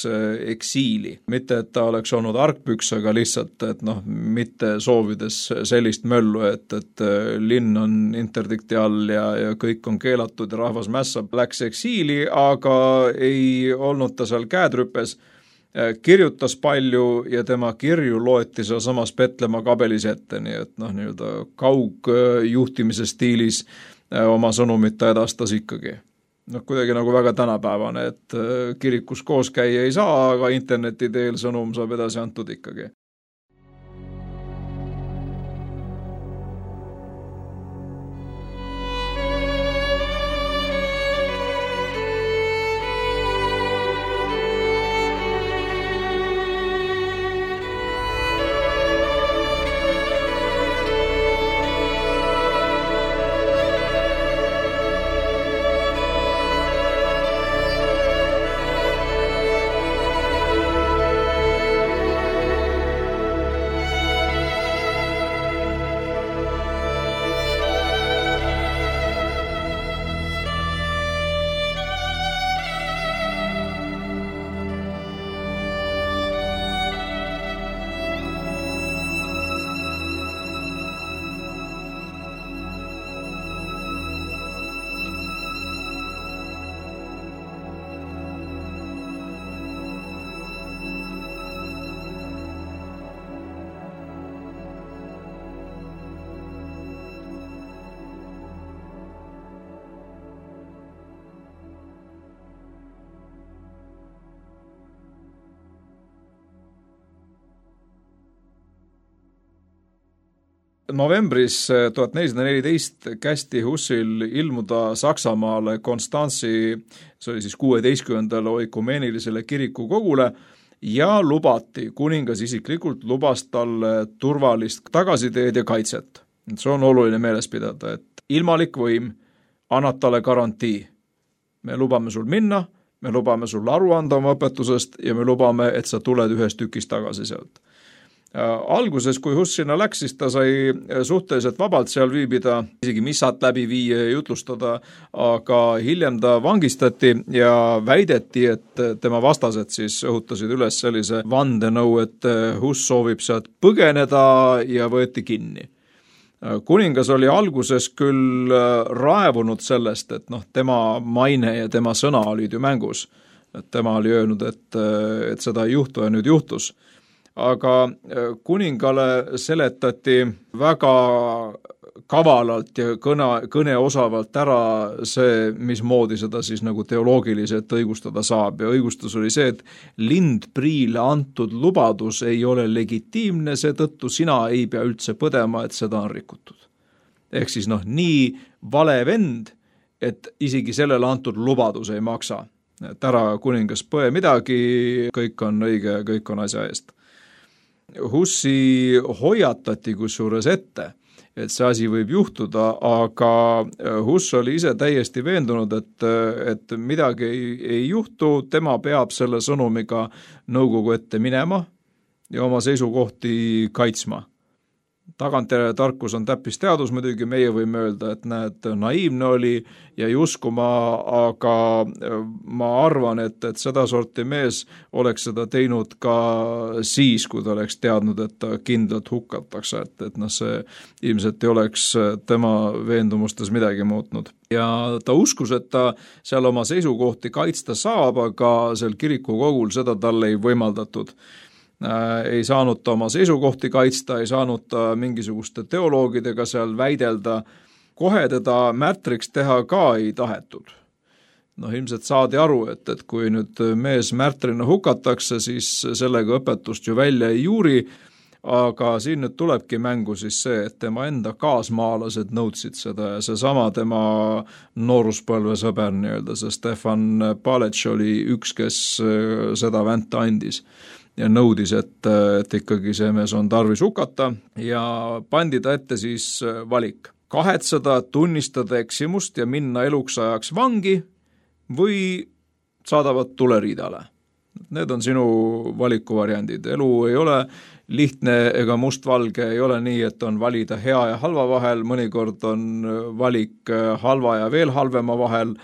eksiili. Mitte, et ta oleks olnud argpüks, aga lihtsalt, et noh, mitte soovides sellist möllu, et, et linn on interdikti all ja, ja kõik on keelatud ja rahvas mässab, läks eksiili, aga ei olnud ta seal käedrüpes. Kirjutas palju ja tema kirju loeti seal samas Petlemma kabelis ette, nii et noh, nii-öelda kaugjuhtimise stiilis oma sõnumit ta edastas ikkagi. Noh, kuidagi nagu väga tänapäevane, et kirikus koos käia ei saa, aga interneti teel sõnum saab edasi antud ikkagi. novembris tuhat nelisada neliteist kästi Hussil ilmuda Saksamaale Konstantsi, see oli siis kuueteistkümnendale oikumeenilisele kirikukogule ja lubati, kuningas isiklikult lubas talle turvalist tagasiteed ja kaitset. See on oluline meeles pidada, et ilmalik võim annab talle garantii. Me lubame sul minna, me lubame sul aru anda oma õpetusest ja me lubame, et sa tuled ühest tükist tagasi sealt. Alguses, kui Huss sinna läks, siis ta sai suhteliselt vabalt seal viibida, isegi missat läbi viia ja jutlustada, aga hiljem ta vangistati ja väideti, et tema vastased siis õhutasid üles sellise vandenõu, et Huss soovib sealt põgeneda ja võeti kinni. Kuningas oli alguses küll raevunud sellest, et noh, tema maine ja tema sõna olid ju mängus. Et tema oli öelnud, et, et seda ei juhtu ja nüüd juhtus. Aga kuningale seletati väga kavalalt ja kõne, kõneosavalt ära see, mismoodi seda siis nagu teoloogiliselt õigustada saab. Ja õigustus oli see, et Lindpriile antud lubadus ei ole legitiimne, seetõttu sina ei pea üldse põdema, et seda on rikutud. Ehk siis noh, nii vale vend, et isegi sellele antud lubadus ei maksa. Et ära kuningas põe midagi, kõik on õige ja kõik on asja eest. Hussi hoiatati kusjuures ette, et see asi võib juhtuda, aga Huss oli ise täiesti veendunud, et, et midagi ei, ei juhtu, tema peab selle sõnumiga nõukogu ette minema ja oma seisukohti kaitsma. Tagantjärele tarkus on täppisteadus, muidugi meie võime öelda, et näed, naiivne oli ja ei uskuma, aga ma arvan, et, et seda sorti mees oleks seda teinud ka siis, kui ta oleks teadnud, et ta kindlalt hukatakse, et, et noh, see ilmselt ei oleks tema veendumustes midagi muutnud. Ja ta uskus, et ta seal oma seisukohti kaitsta saab, aga seal kirikukogul seda talle ei võimaldatud. Ei saanud ta oma seisukohti kaitsta, ei saanud ta mingisuguste teoloogidega seal väidelda, kohe teda märtriks teha ka ei tahetud. Noh, ilmselt saadi aru, et, et kui nüüd mees märtrina hukatakse, siis sellega õpetust ju välja ei juuri, aga siin nüüd tulebki mängu siis see, et tema enda kaasmaalased nõudsid seda ja seesama tema nooruspõlve sõber nii-öelda, see Stefan Palec oli üks, kes seda vänta andis ja nõudis, et, et ikkagi see mees on tarvis hukata ja pandi ta ette siis valik. Kahetseda, tunnistada eksimust ja minna eluks ajaks vangi või saadavad tuleriidale. Need on sinu valikuvariandid. Elu ei ole lihtne ega mustvalge, ei ole nii, et on valida hea ja halva vahel, mõnikord on valik halva ja veel halvema vahel,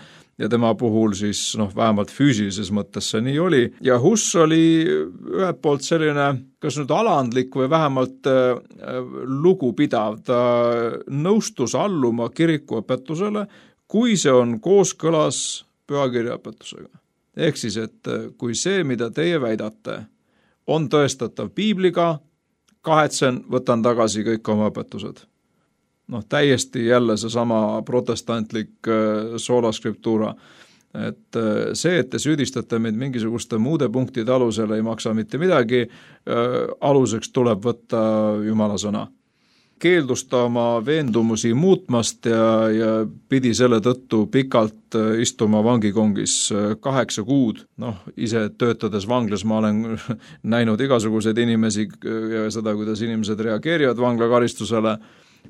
ja tema puhul siis noh, vähemalt füüsilises mõttes see nii oli. Ja Huss oli ühelt poolt selline, kas nüüd alandlik või vähemalt äh, lugupidav. Ta nõustus alluma kirikuõpetusele, kui see on kooskõlas pühakirjaõpetusega. Ehk siis, et kui see, mida teie väidate, on tõestatav piibliga, kahetsen, võtan tagasi kõik oma õpetused. Noh, täiesti jälle seesama protestantlik sola scriptura, et see, et te süüdistate meid mingisuguste muude punktide alusel, ei maksa mitte midagi, aluseks tuleb võtta Jumala sõna. Keeldus ta oma veendumusi muutmast ja, ja pidi selle tõttu pikalt istuma vangikongis kaheksa kuud. Noh, ise töötades vanglas ma olen näinud igasuguseid inimesi ja seda, kuidas inimesed reageerivad vanglakaristusele.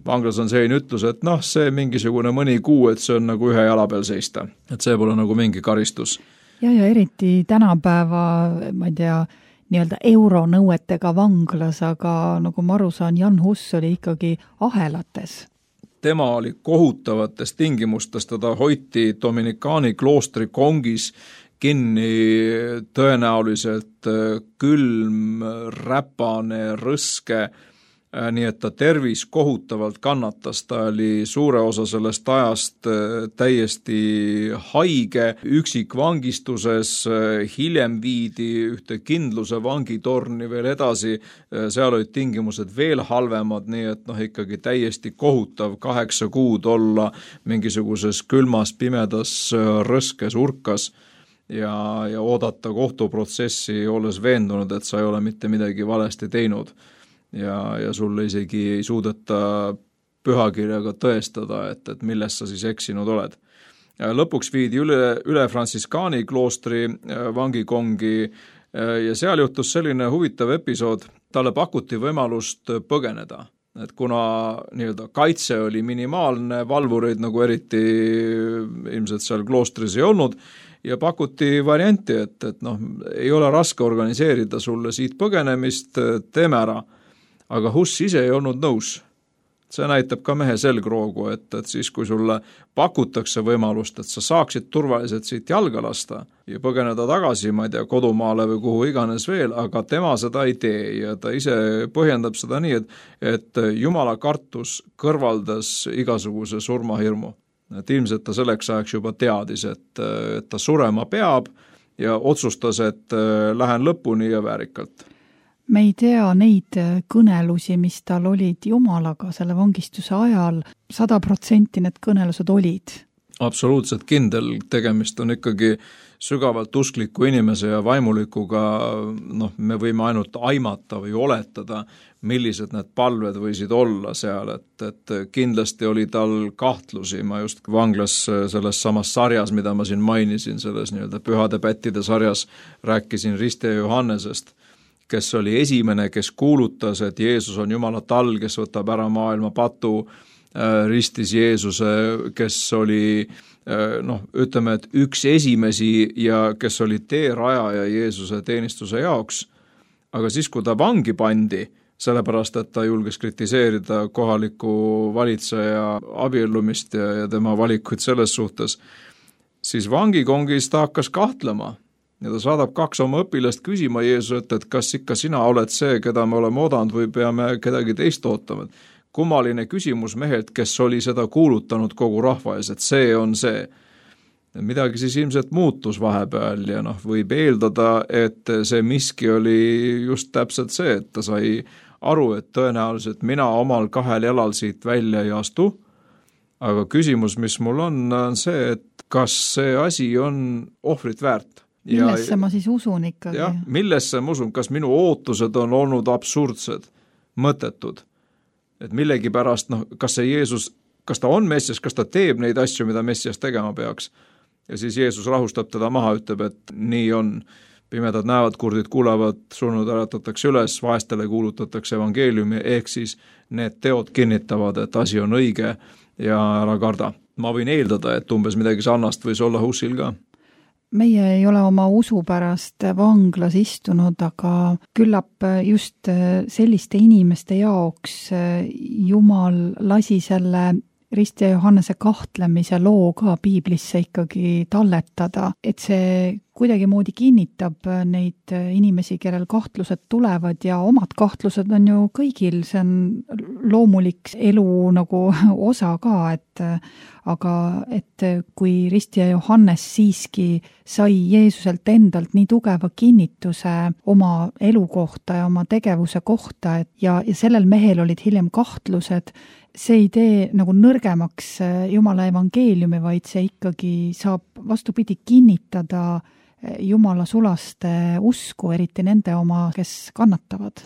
Vanglas on selline ütlus, et noh, see mingisugune mõni kuu, et see on nagu ühe jala peal seista. Et see pole nagu mingi karistus. Ja, ja eriti tänapäeva, ma ei tea, nii-öelda euronõuetega vanglas, aga nagu ma aru saan, Jan Huss oli ikkagi ahelates. Tema oli kohutavates tingimustes, teda hoiti Dominikaani kloostri kongis kinni tõenäoliselt külm, räpane, rõske, nii et ta tervis kohutavalt kannatas, ta oli suure osa sellest ajast täiesti haige, üksik vangistuses, hiljem viidi ühte kindluse vangitorni veel edasi, seal olid tingimused veel halvemad, nii et noh, ikkagi täiesti kohutav kaheksa kuud olla mingisuguses külmas, pimedas, rõskes urkas ja, ja oodata kohtuprotsessi, olles veendunud, et sa ei ole mitte midagi valesti teinud. ja, ja sulle isegi ei suudeta pühakirjaga tõestada, et, et milles sa siis eksinud oled. Lõpuks viidi üle, üle Fransiskaani kloostri vangikongi ja seal juhtus selline huvitav episood, talle pakuti võimalust põgeneda. Et kuna nii-öelda kaitse oli minimaalne, valvureid nagu eriti ilmselt seal kloostris ei olnud, ja pakuti varianti, et, et noh, ei ole raske organiseerida sulle siit põgenemist, teeme ära. Aga Hus ise ei olnud nõus. See näitab ka mehe selgroogu, et, et siis kui sulle pakutakse võimalust, et sa saaksid turvaliselt siit jalga lasta ja põgeneda tagasi, ma ei tea, kodumaale või kuhu iganes veel, aga tema seda ei tee ja ta ise põhjendab seda nii, et, et Jumala kartus kõrvaldas igasuguse surmahirmu. Et ilmselt ta selleks ajaks juba teadis, et, et ta surema peab ja otsustas, et lähen lõpuni ja väärikalt. Me ei tea neid kõnelusi, mis tal olid Jumalaga selle vangistuse ajal, sada protsenti need kõnelused olid. Absoluutselt kindel, tegemist on ikkagi sügavalt uskliku inimese ja vaimulikuga, noh, me võime ainult aimata või oletada, millised need palved võisid olla seal, et, et kindlasti oli tal kahtlusi, ma just vanglas selles samas sarjas, mida ma siin mainisin, selles nii-öelda pühade pättide sarjas rääkisin Ristija Johannesest, kes oli esimene, kes kuulutas, et Jeesus on Jumala tall, kes võtab ära maailma patu, ristis Jeesuse, kes oli, noh, ütleme, et üks esimesi ja kes oli teerajaja Jeesuse teenistuse jaoks. Aga siis, kui ta vangi pandi, sellepärast, et ta julges kritiseerida kohaliku valitseja abiellumist ja, ja tema valikuid selles suhtes, siis vangikongis ta hakkas kahtlema. Ja ta saadab kaks oma õpilast küsima Jeesuselt, et kas ikka sina oled see, keda me oleme oodanud või peame kedagi teist ootama. Kummaline küsimus mehelt, kes oli seda kuulutanud kogu rahva ees, et see on see. Midagi siis ilmselt muutus vahepeal ja noh, võib eeldada, et see miski oli just täpselt see, et ta sai aru, et tõenäoliselt mina omal kahel jalal siit välja ei astu, aga küsimus, mis mul on, on see, et kas see asi on ohvrit väärt. Millesse ja, ma siis usun ikkagi? Jah, millesse ma usun, kas minu ootused on olnud absurdsed, mõttetud, et millegi pärast, noh, kas see Jeesus, kas ta on Messias, kas ta teeb neid asju, mida Messias tegema peaks, ja siis Jeesus rahustab teda maha, ütleb, et nii on, pimedad näevad, kurdid kuulevad, surnud äratatakse üles, vaestele kuulutatakse evangeeliumi, ehk siis need teod kinnitavad, et asi on õige ja ära karda. Ma võin eeldada, et umbes midagi sarnast võis olla Husil ka. Meie ei ole oma usu pärast vanglas istunud, aga küllap just selliste inimeste jaoks Jumal lasi selle Ristija Johannese kahtlemise loo ka piiblisse ikkagi talletada, et see kuidagi moodi kinnitab neid inimesi, kellel kahtlused tulevad ja omad kahtlused on ju kõigil, see on loomulik elu nagu osa ka, et aga et kui Ristija Johannes siiski sai Jeesuselt endalt nii tugeva kinnituse oma elu kohta ja oma tegevuse kohta, et ja, ja sellel mehel olid hiljem kahtlused, see ei tee nagu nõrgemaks Jumala evangeeliumi, vaid see ikkagi saab vastupidi kinnitada Jumala sulaste usku, eriti nende oma, kes kannatavad.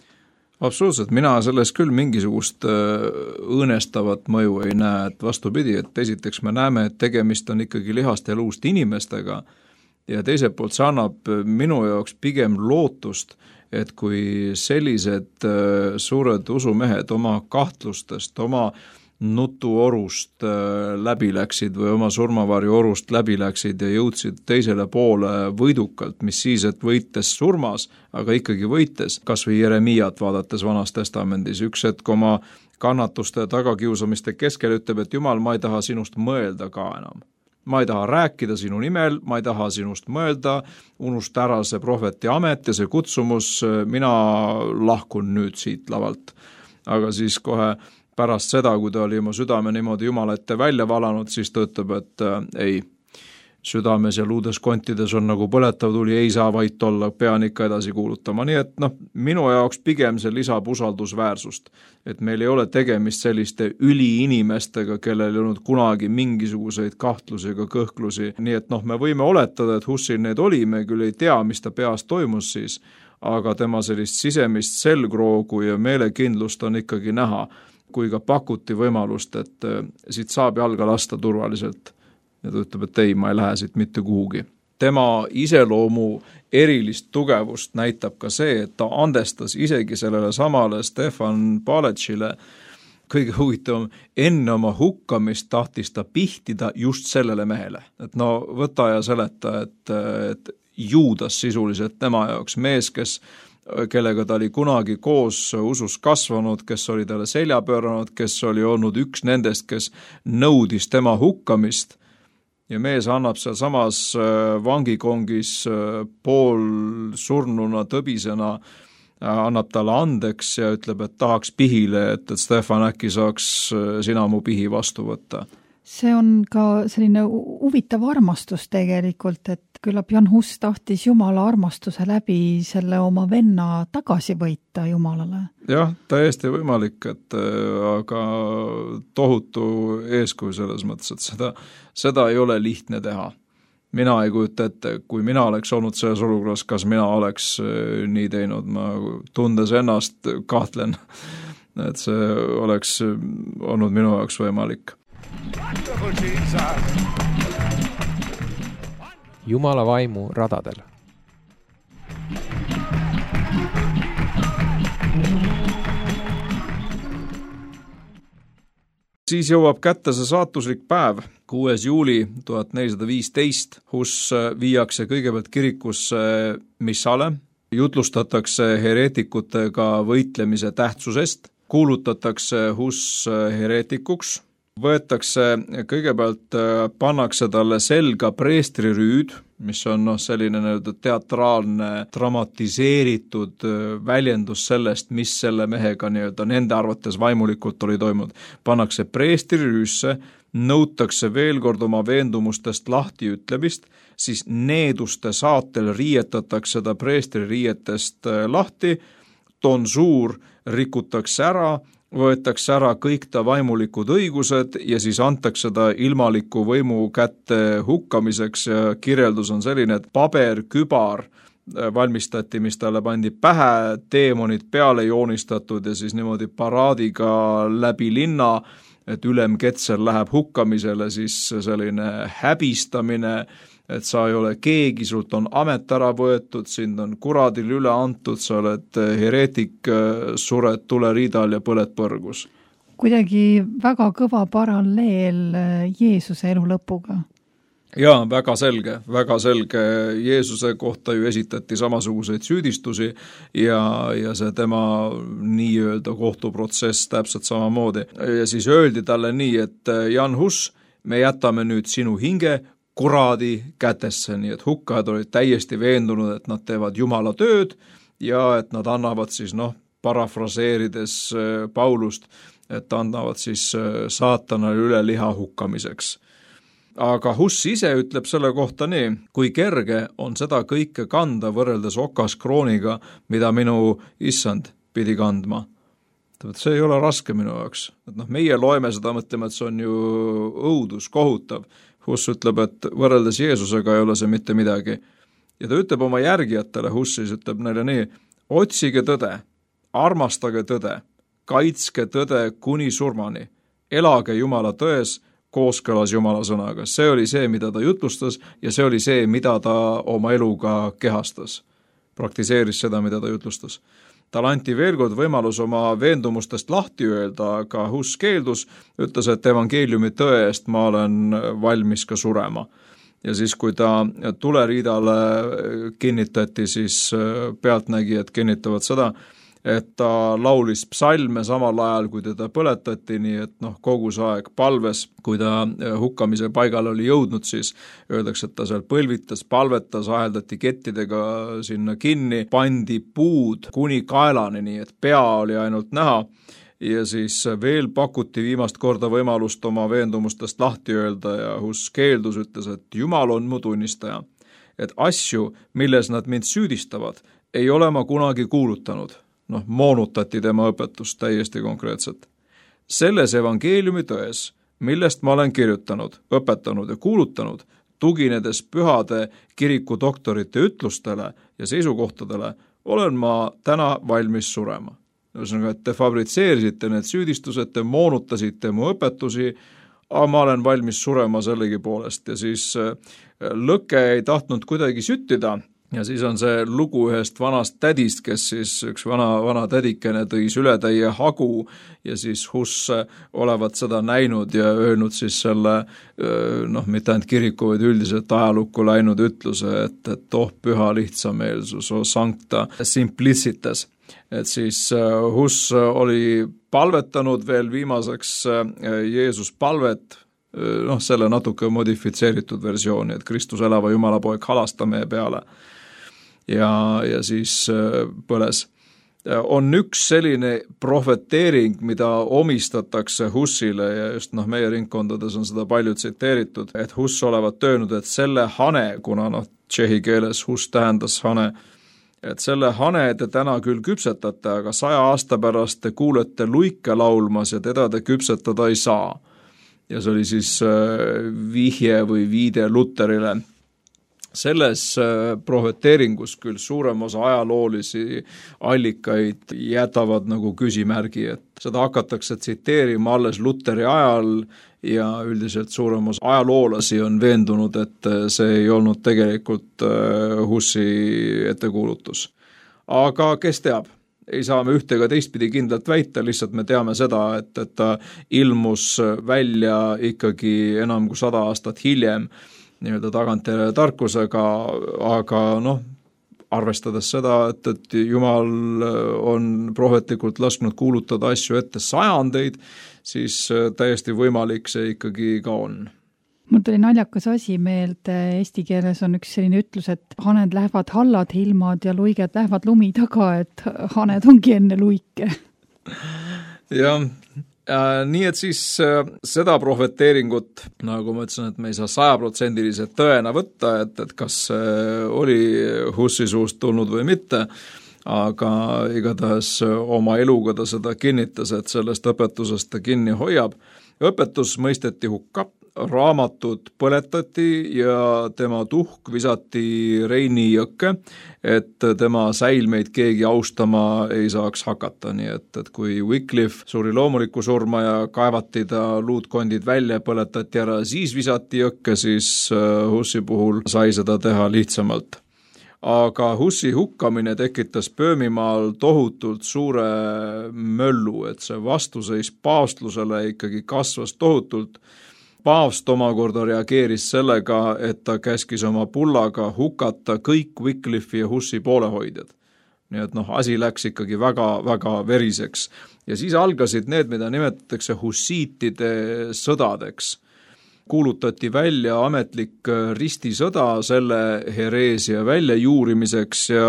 Absoluutselt, mina selles küll mingisugust õõnestavat mõju ei näe, et vastupidi, et esiteks me näeme, et tegemist on ikkagi lihast ja luust inimestega ja teiselt poolt see annab minu jaoks pigem lootust, et kui sellised suured usumehed oma kahtlustest, oma nutuorust läbi läksid või oma surmavarju orust läbi läksid ja jõudsid teisele poole võidukalt, mis siis, et võites surmas, aga ikkagi võites, kas või Jeremiat vaadates Vanas Testamendis, üks hetk oma kannatuste ja tagakiusamiste keskel ütleb, et Jumal, ma ei taha sinust mõelda ka enam. Ma ei taha rääkida sinu nimel, ma ei taha sinust mõelda, unusta ära see prohveti amet ja see kutsumus, mina lahkun nüüd siit lavalt. Aga siis kohe pärast seda, kui ta oli oma südame niimoodi Jumala ette välja valanud, siis ta ütleb, et äh, ei, südames ja luudes kontides on nagu põletav tuli, ei saa vait olla, pean ikka edasi kuulutama. Nii et noh, minu jaoks pigem see lisab usaldusväärsust, et meil ei ole tegemist selliste üliinimestega, kellel ei olnud kunagi mingisuguseid kahtlusi ega kõhklusi. Nii et noh, me võime oletada, et Husil need oli, me küll ei tea, mis ta peas toimus siis, aga tema sellist sisemist selgroogu ja meelekindlust on ikkagi näha, kui ka pakuti võimalust, et siit saab jalga lasta turvaliselt. Ja ta ütleb, et ei, ma ei lähe siit mitte kuhugi. Tema iseloomu erilist tugevust näitab ka see, et ta andestas isegi sellele samale Stefan Paletšile. Kõige huvitavam, enne oma hukkamist tahtis ta pihtida just sellele mehele. Et no võta ja seleta, et, et Juudas sisuliselt tema jaoks mees, kes, kellega ta oli kunagi koos usus kasvanud, kes oli talle selja pööranud, kes oli olnud üks nendest, kes nõudis tema hukkamist. Ja mees annab seal samas vangikongis pool surnuna tõbisena, annab talle andeks ja ütleb, et tahaks pihile, et, et Stefan äkki saaks sina mu pihi vastu võtta. See on ka selline huvitav armastus tegelikult, et küllap Jan Hus tahtis Jumala armastuse läbi selle oma venna tagasi võita Jumalale. Jah, täiesti võimalik, et aga tohutu eeskuju selles mõttes, et seda, seda ei ole lihtne teha. Mina ei kujuta ette, kui mina oleks olnud selles olukorras, kas mina oleks nii teinud, ma tundes ennast kahtlen, et see oleks olnud minu jaoks võimalik. Jumala vaimu radadel. Siis jõuab kätte see saatuslik päev, kuues juuli tuhat nelisada viisteist, kus viiakse kõigepealt kirikusse missale, jutlustatakse hereetikutega võitlemise tähtsusest, kuulutatakse Hus hereetikuks, võetakse kõigepealt, pannakse talle selga preestrirüüd, mis on no, selline teatraalne, dramatiseeritud väljendus sellest, mis selle mehega nii-öelda nende arvates vaimulikult oli toimunud. Pannakse preestrirüüsse, nõutakse veel kord oma veendumustest lahti ütlemist, siis needuste saatel riietatakse ta preestririietest lahti, tonsuur rikutakse ära, võetakse ära kõik ta vaimulikud õigused ja siis antakse ta ilmaliku võimu kätte hukkamiseks ja kirjeldus on selline, et paber, kübar valmistati, mis talle pandi pähe, teemonid peale joonistatud ja siis niimoodi paraadiga läbi linna, et ülem Ketsel läheb hukkamisele, siis selline häbistamine, et sa ei ole keegi, sult on amet ära võetud, sind on kuradil üle antud, sa oled hereetik, sured tuleriidal ja põled põrgus. Kuidagi väga kõva paralleel Jeesuse elu lõpuga. Jaa, väga selge, väga selge. Jeesuse kohta ju esitati samasuguseid süüdistusi ja, ja see tema nii-öelda kohtuprotsess täpselt samamoodi. Ja siis öeldi talle nii, et Jan Hus, me jätame nüüd sinu hinge kuradi kätesse, nii et hukkajad olid täiesti veendunud, et nad teevad Jumala tööd ja et nad annavad siis, noh, parafraseerides Paulust, et annavad siis saatanale üle liha hukkamiseks. Aga Hus ise ütleb selle kohta nii, kui kerge on seda kõike kanda võrreldes okaskrooniga, mida minu issand pidi kandma. See ei ole raske minu jaoks. Et noh, meie loeme seda, mõtleme, et see on ju õudus, kohutav. Hus ütleb, et võrreldes Jeesusega ei ole see mitte midagi. Ja ta ütleb oma järgijatele, Hus siis ütleb neile nii, otsige tõde, armastage tõde, kaitske tõde kuni surmani, elage Jumala tões, kooskõlas Jumala sõnaga. See oli see, mida ta jutlustas ja see oli see, mida ta oma eluga kehastas. Praktiseeris seda, mida ta jutlustas. Tal anti veel kord võimalus oma veendumustest lahti öelda, aga Hus keeldus, ütles, et evangeeliumi tõe eest ma olen valmis ka surema. Ja siis, kui ta tuleriidale kinnitati, siis pealtnägijad kinnitavad seda, et ta laulis psalme samal ajal, kui teda põletati, nii et noh, kogu see aeg palves, kui ta hukkamise paigal oli jõudnud, siis öeldakse, et ta seal põlvitas, palvetas, aheldati kettidega sinna kinni, pandi puud kuni kaelani, nii et pea oli ainult näha ja siis veel pakuti viimast korda võimalust oma veendumustest lahti öelda ja Hus keeldus, ütles, et Jumal on mu tunnistaja, et asju, milles nad mind süüdistavad, ei ole ma kunagi kuulutanud. Noh, moonutati tema õpetust täiesti konkreetselt. Selles evangeeliumi tões, millest ma olen kirjutanud, õpetanud ja kuulutanud, tuginedes pühade kiriku doktorite ütlustele ja seisukohtadele, olen ma täna valmis surema. Ühesõnaga, et te fabritseerisite need süüdistused, te moonutasite mu õpetusi, aga ma olen valmis surema sellegi poolest ja siis lõke ei tahtnud kuidagi süttida ja siis on see lugu ühest vanast tädist, kes siis üks vana, vana tädikene tõis üle täie hagu ja siis Huss olevat seda näinud ja öelnud siis selle, noh, mitte ainult kiriku, vaid üldiselt ajalukku läinud ütluse, et, et oh püha lihtsameelsus, oh sancta simplicitas. Et siis Huss oli palvetanud veel viimaseks Jeesus palvet, noh, selle natuke modifitseeritud versiooni, et Kristus elava Jumala poeg halasta meie peale ja, ja siis põles. On üks selline prohveteering, mida omistatakse Hussile ja just noh, meie ringkondades on seda palju tsiteeritud, et Huss olevat öelnud, et selle hane, kuna noh, tšehhi keeles Huss tähendas hane, et selle hane te täna küll küpsetate, aga saja aasta pärast te kuulete luike laulmas ja teda te küpsetada ei saa. Ja see oli siis vihje või viide Luterile. Selles prohveteeringus küll suurem osa ajaloolisi allikaid jätavad nagu küsimärgi, et seda hakatakse tsiteerima alles Luteri ajal ja üldiselt suurem osa ajaloolasi on veendunud, et see ei olnud tegelikult Hussi ettekuulutus. Aga kes teab? Ei saa me ühte ega teistpidi kindlalt väita, lihtsalt me teame seda, et, et ta ilmus välja ikkagi enam kui sada aastat hiljem nii-öelda tagantjärele tarkusega, aga noh, arvestades seda, et, et Jumal on prohvetlikult lasknud kuulutada asju ette sajandeid, siis täiesti võimalik see ikkagi ka on. Mul tuli naljakas asi meelde, eesti keeles on üks selline ütlus, et haned lähevad hallad hilmad ja luiged lähevad lumi taga, et haned ongi enne luike. Jah, nii et siis seda prohveteeringut, nagu ma ütlesin, et me ei saa sajaprotsendilise tõena võtta, et, et kas oli Hussi suust tulnud või mitte, aga igatahes oma eluga ta seda kinnitas, et sellest õpetusest ta kinni hoiab. Õpetus mõisteti hukka, raamatud põletati ja tema tuhk visati Reini jõkke, et tema säilmeid keegi austama ei saaks hakata, nii et, et kui Wycliffe suri loomuliku surma ja kaevati ta luudkondid välja, põletati ära, siis visati jõkke, siis Hussi puhul sai seda teha lihtsamalt. Aga Hussi hukkamine tekitas Pöömimaal tohutult suure möllu, et see vastuseis paavstlusele ikkagi kasvas tohutult. Paavst omakorda reageeris sellega, et ta käskis oma pullaga hukata kõik Wycliffe ja Hussi poolehoidjad. Nii et noh, asi läks ikkagi väga, väga veriseks. Ja siis algasid need, mida nimetatakse hussiitide sõdadeks. Kuulutati välja ametlik ristisõda selle hereesia väljajuurimiseks ja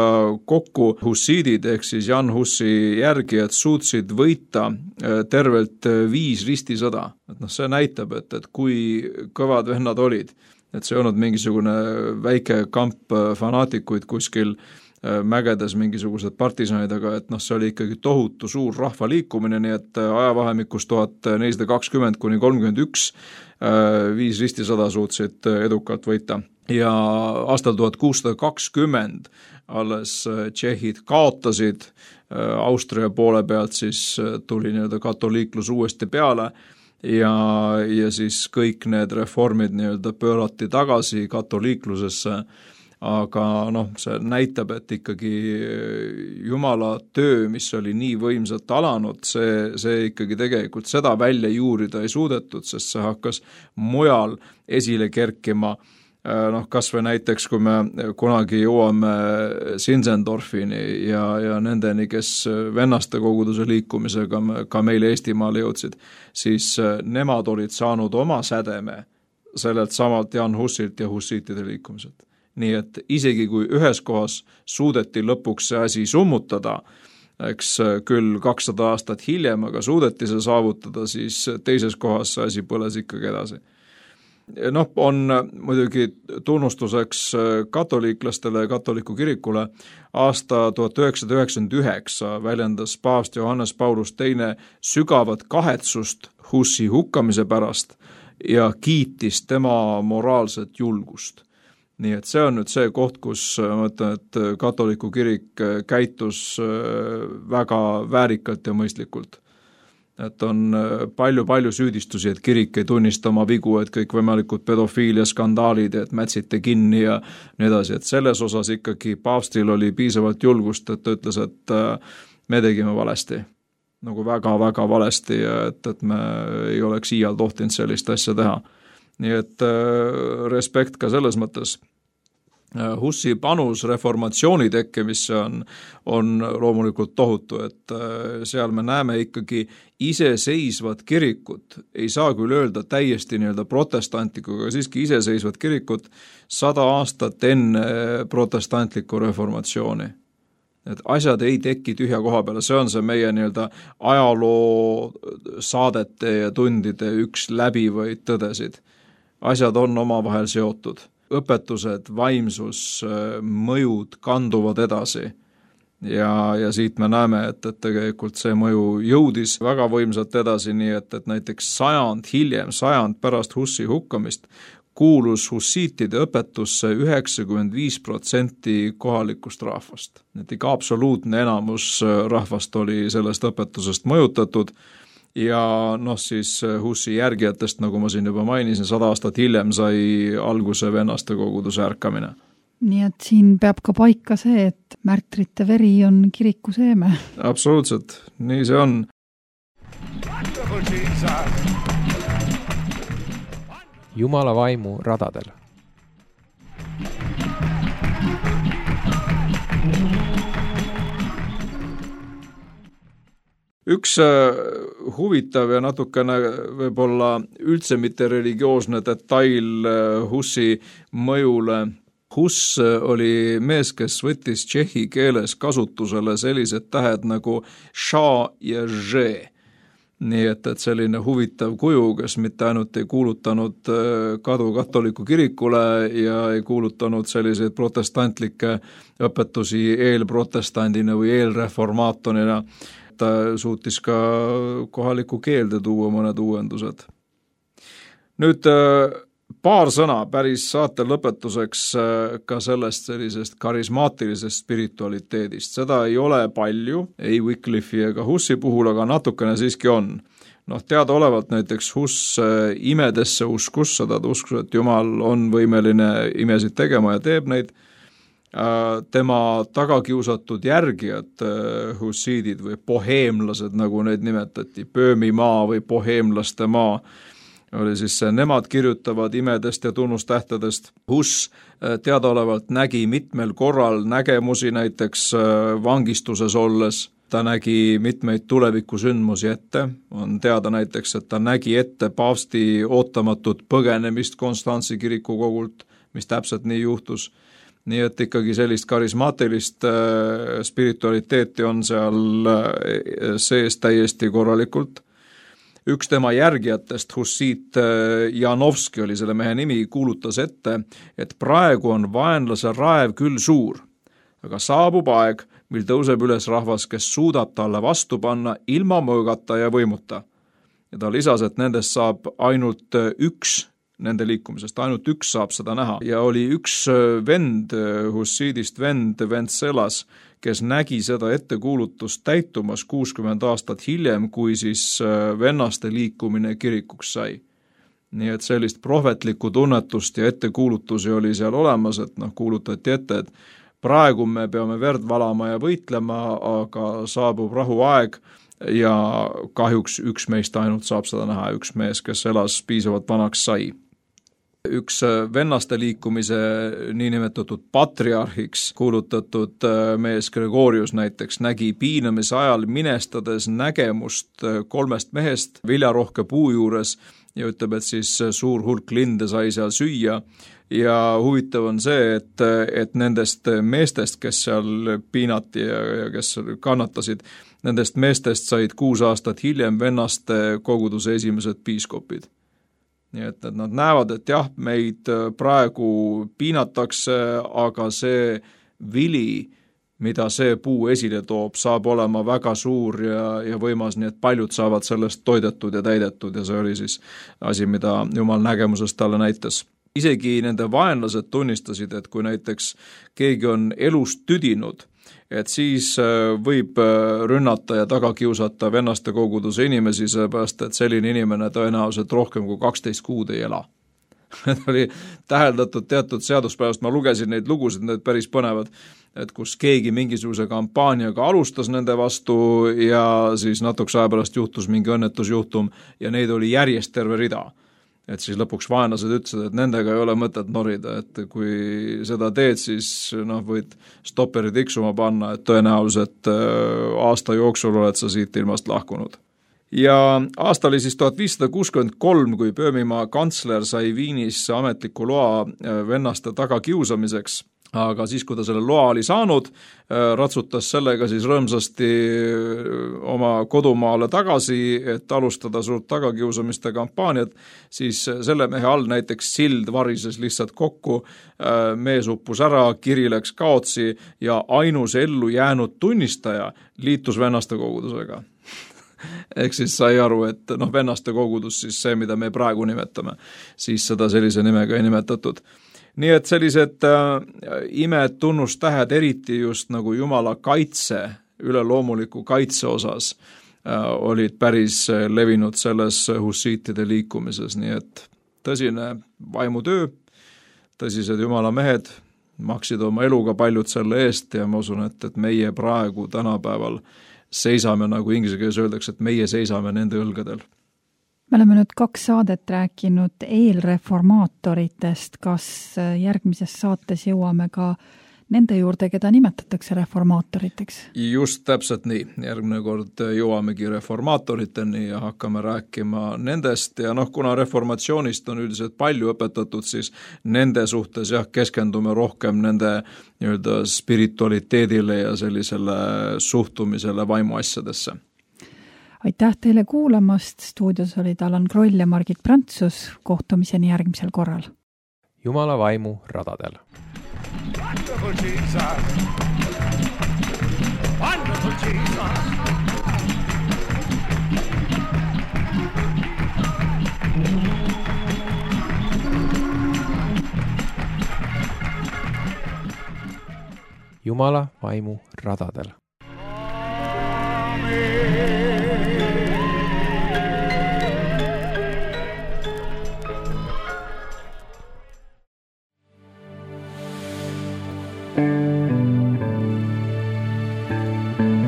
kokku hussiidid ehk siis Jan Hussi järgijad suutsid võita tervelt viis ristisõda. Et noh, see näitab, et, et kui kõvad vennad olid, et see ei olnud mingisugune väike kamp fanaatikuid kuskil mägedes mingisugused partisanid, aga et noh, see oli ikkagi tohutu suur rahvaliikumine, nii et ajavahemikus tuhat nelisada kakskümmend kuni kolmkümmend üks viis ristisõda suutsid edukalt võita. Ja aastal tuhat kuussada kakskümmend alles tšehhid kaotasid, Austria poole pealt siis tuli nii-öelda katoliiklus uuesti peale ja, ja siis kõik need reformid nii-öelda pöörati tagasi katoliiklusesse, aga noh, see näitab, et ikkagi Jumala töö, mis oli nii võimsalt alanud, see, see ikkagi tegelikult seda välja juurida ei suudetud, sest see hakkas mujal esile kerkima. Noh, kas või näiteks, kui me kunagi jõuame Sinsendorfini ja, ja nendeni, kes vennaste koguduse liikumisega ka meile Eestimaale jõudsid, siis nemad olid saanud oma sädeme sellelt samalt Jan Hussilt ja hussiitide liikumiselt. Nii et isegi kui ühes kohas suudeti lõpuks see asi summutada, eks küll kakssada aastat hiljem, aga suudeti see saavutada, siis teises kohas see asi põles ikkagi edasi. Noh, on muidugi tunnustuseks katoliiklastele ja katoliku kirikule. Aasta tuhat üheksasada üheksakümmend üheksa väljendas paavst Johannes Paulus teine sügavat kahetsust Hussi hukkamise pärast ja kiitis tema moraalset julgust. nii et see on nüüd see koht, kus ma ütlen, et katoliku kirik käitus väga väärikalt ja mõistlikult. Et on palju-palju süüdistusi, et kirik ei tunnista oma vigu, et kõik võimalikud pedofiilia skandaalid, et mätsite kinni ja nii edasi, et selles osas ikkagi paavstil oli piisavalt julgust, et ta ütles, et me tegime valesti, nagu väga-väga valesti ja et, et me ei oleks iial tohtinud sellist asja teha. Nii et respekt ka selles mõttes. Hussi panus reformatsiooni tekkimisse on, on loomulikult tohutu, et seal me näeme ikkagi iseseisvat kirikut, ei saa küll öelda täiesti nii-öelda protestantlikku, aga siiski iseseisvat kirikut sada aastat enne protestantlikku reformatsiooni. Et asjad ei teki tühja koha peale, see on see meie nii-öelda ajaloo saadete ja tundide üks läbivaid tõdesid. Asjad on omavahel seotud. Õpetused, vaimsus, mõjud kanduvad edasi ja, ja siit me näeme, et, et tegelikult see mõju jõudis väga võimsalt edasi, nii et, et näiteks sajand hiljem, sajand pärast Hussi hukkamist kuulus hussiitide õpetusse üheksakümmend viis protsenti kohalikust rahvast. Et ikka absoluutne enamus rahvast oli sellest õpetusest mõjutatud ja noh siis Hussi järgijatest, nagu ma siin juba mainisin, sada aastat hiljem sai alguse vennaste koguduse ärkamine. Nii et siin peab ka paika see, et märtrite veri on kiriku seeme. Absoluutselt, nii see on. Jumala vaimu radadel. Üks huvitav ja natukene võib-olla üldse mitte religioosne detail Hussi mõjule. Huss oli mees, kes võttis tšehhi keeles kasutusele sellised tähed nagu ša ja že. Nii et, et selline huvitav kuju, kes mitte ainult ei kuulutanud kadu katoliku kirikule ja ei kuulutanud selliseid protestantlikke õpetusi eelprotestandina või eelreformaatonina, ta suutis ka kohaliku keelde tuua mõned uuendused. Nüüd paar sõna päris saate lõpetuseks ka sellest sellisest karismaatilisest spiritualiteedist. Seda ei ole palju, ei Wycliffe ega Hussi puhul, aga natukene siiski on. Noh, teada olevalt näiteks Huss imedesse uskus, seda ta uskus, et Jumal on võimeline imesid tegema ja teeb neid. Tema tagakiusatud järgijad, hussiidid või boheemlased, nagu neid nimetati, Böömimaa või boheemlaste maa, oli siis see, nemad kirjutavad imedest ja tunnustähtedest. Huss teadaolevalt nägi mitmel korral nägemusi, näiteks vangistuses olles. Ta nägi mitmeid tulevikusündmusi ette. On teada näiteks, et ta nägi ette paavsti ootamatut põgenemist Konstantsi kiriku kogult, mis täpselt nii juhtus. Nii et ikkagi sellist karismaatilist äh, spiritualiteeti on seal äh, sees täiesti korralikult. Üks tema järgijatest, hussiit äh, Janovski oli selle mehe nimi, kuulutas ette, et praegu on vaenlase raev küll suur, aga saabub aeg, mil tõuseb üles rahvas, kes suudab talle vastu panna ilma mõõgata ja võimuta. Ja ta lisas, et nendest saab ainult üks nende liikumisest, ainult üks saab seda näha. Ja oli üks vend, hussiidist vend Ventselas, kes nägi seda ettekuulutust täitumas kuuskümmend aastat hiljem, kui siis vennaste liikumine kirikuks sai. Nii et sellist prohvetlikku tunnetust ja ettekuulutusi oli seal olemas, et noh, kuulutati ette, et praegu me peame verd valama ja võitlema, aga saabub rahuaeg ja kahjuks üks meist ainult saab seda näha, üks mees, kes elas piisavalt vanaks sai. Üks vennaste liikumise niinimetatud patriarhiks kuulutatud mees Gregorius näiteks nägi piinamise ajal minestades nägemust kolmest mehest viljarohke puu juures ja ütleb, et siis suur hulk linde sai seal süüa. Ja huvitav on see, et, et nendest meestest, kes seal piinati ja, ja kes kannatasid, nendest meestest said kuus aastat hiljem vennaste koguduse esimesed piiskopid. Nii et, et nad näevad, et jah, meid praegu piinatakse, aga see vili, mida see puu esile toob, saab olema väga suur ja, ja võimas, nii et paljud saavad sellest toidetud ja täidetud ja see oli siis asi, mida Jumal nägemusest talle näitas. isegi nende vaenlased tunnistasid, et kui näiteks keegi on elust tüdinud, et siis võib rünnata ja taga kiusata vennaste koguduse inimesi, seepärast, et selline inimene tõenäoliselt rohkem kui kaksteist kuud ei ela. Need oli täheldatud teatud seaduspäevast, ma lugesin neid lugusid, need päris põnevad, et kus keegi mingisuguse kampaaniaga alustas nende vastu ja siis natukese aja pärast juhtus mingi õnnetusjuhtum ja neid oli järjest terve rida. Et siis lõpuks vaenlased ütlesid, et nendega ei ole mõtet norida, et kui seda teed, siis noh, võid stopperi tiksuma panna, et tõenäoliselt aasta jooksul oled sa siit ilmast lahkunud. Ja aasta oli siis tuhat viissada kuuskümmend kolm, kui Böömimaa kantsler sai Viinis ametliku loa vennaste taga kiusamiseks, aga siis, kui ta selle loa oli saanud, ratsutas sellega siis rõõmsasti oma kodumaale tagasi, et alustada suurt tagakiusamiste kampaaniat, siis selle mehe all näiteks sild varises lihtsalt kokku, mees uppus ära, kiri läks kaotsi ja ainus ellu jäänud tunnistaja liitus vennaste kogudusega. Ehk siis sai aru, et noh, vennaste kogudus, siis see, mida me praegu nimetame, siis seda sellise nimega ei nimetatud. Nii et sellised äh, imed tunnustähed, eriti just nagu Jumala kaitse, üleloomuliku kaitse osas, äh, olid päris levinud selles hussiitide liikumises, nii et tõsine vaimutöö, tõsised Jumala mehed maksid oma eluga paljud selle eest ja ma usun, et, et meie praegu tänapäeval seisame, nagu inglise keeles öeldakse, et meie seisame nende õlgadel. Me oleme nüüd kaks saadet rääkinud eelreformaatoritest, kas järgmises saates jõuame ka nende juurde, keda nimetatakse reformaatoriteks? Just täpselt nii. Järgmine kord jõuamegi reformaatoriteni ja hakkame rääkima nendest ja noh, kuna reformatsioonist on üldiselt palju õpetatud, siis nende suhtes jah, keskendume rohkem nende nii-öelda spiritualiteedile ja sellisele suhtumisele vaimuasjadesse. Aitäh teile kuulamast, stuudios olid Allan Kroll ja Margit Prantsus, kohtumiseni järgmisel korral. Jumala vaimu radadel. Wonderful Jesus. Wonderful Jesus. Jumala vaimu radadel. Thank you.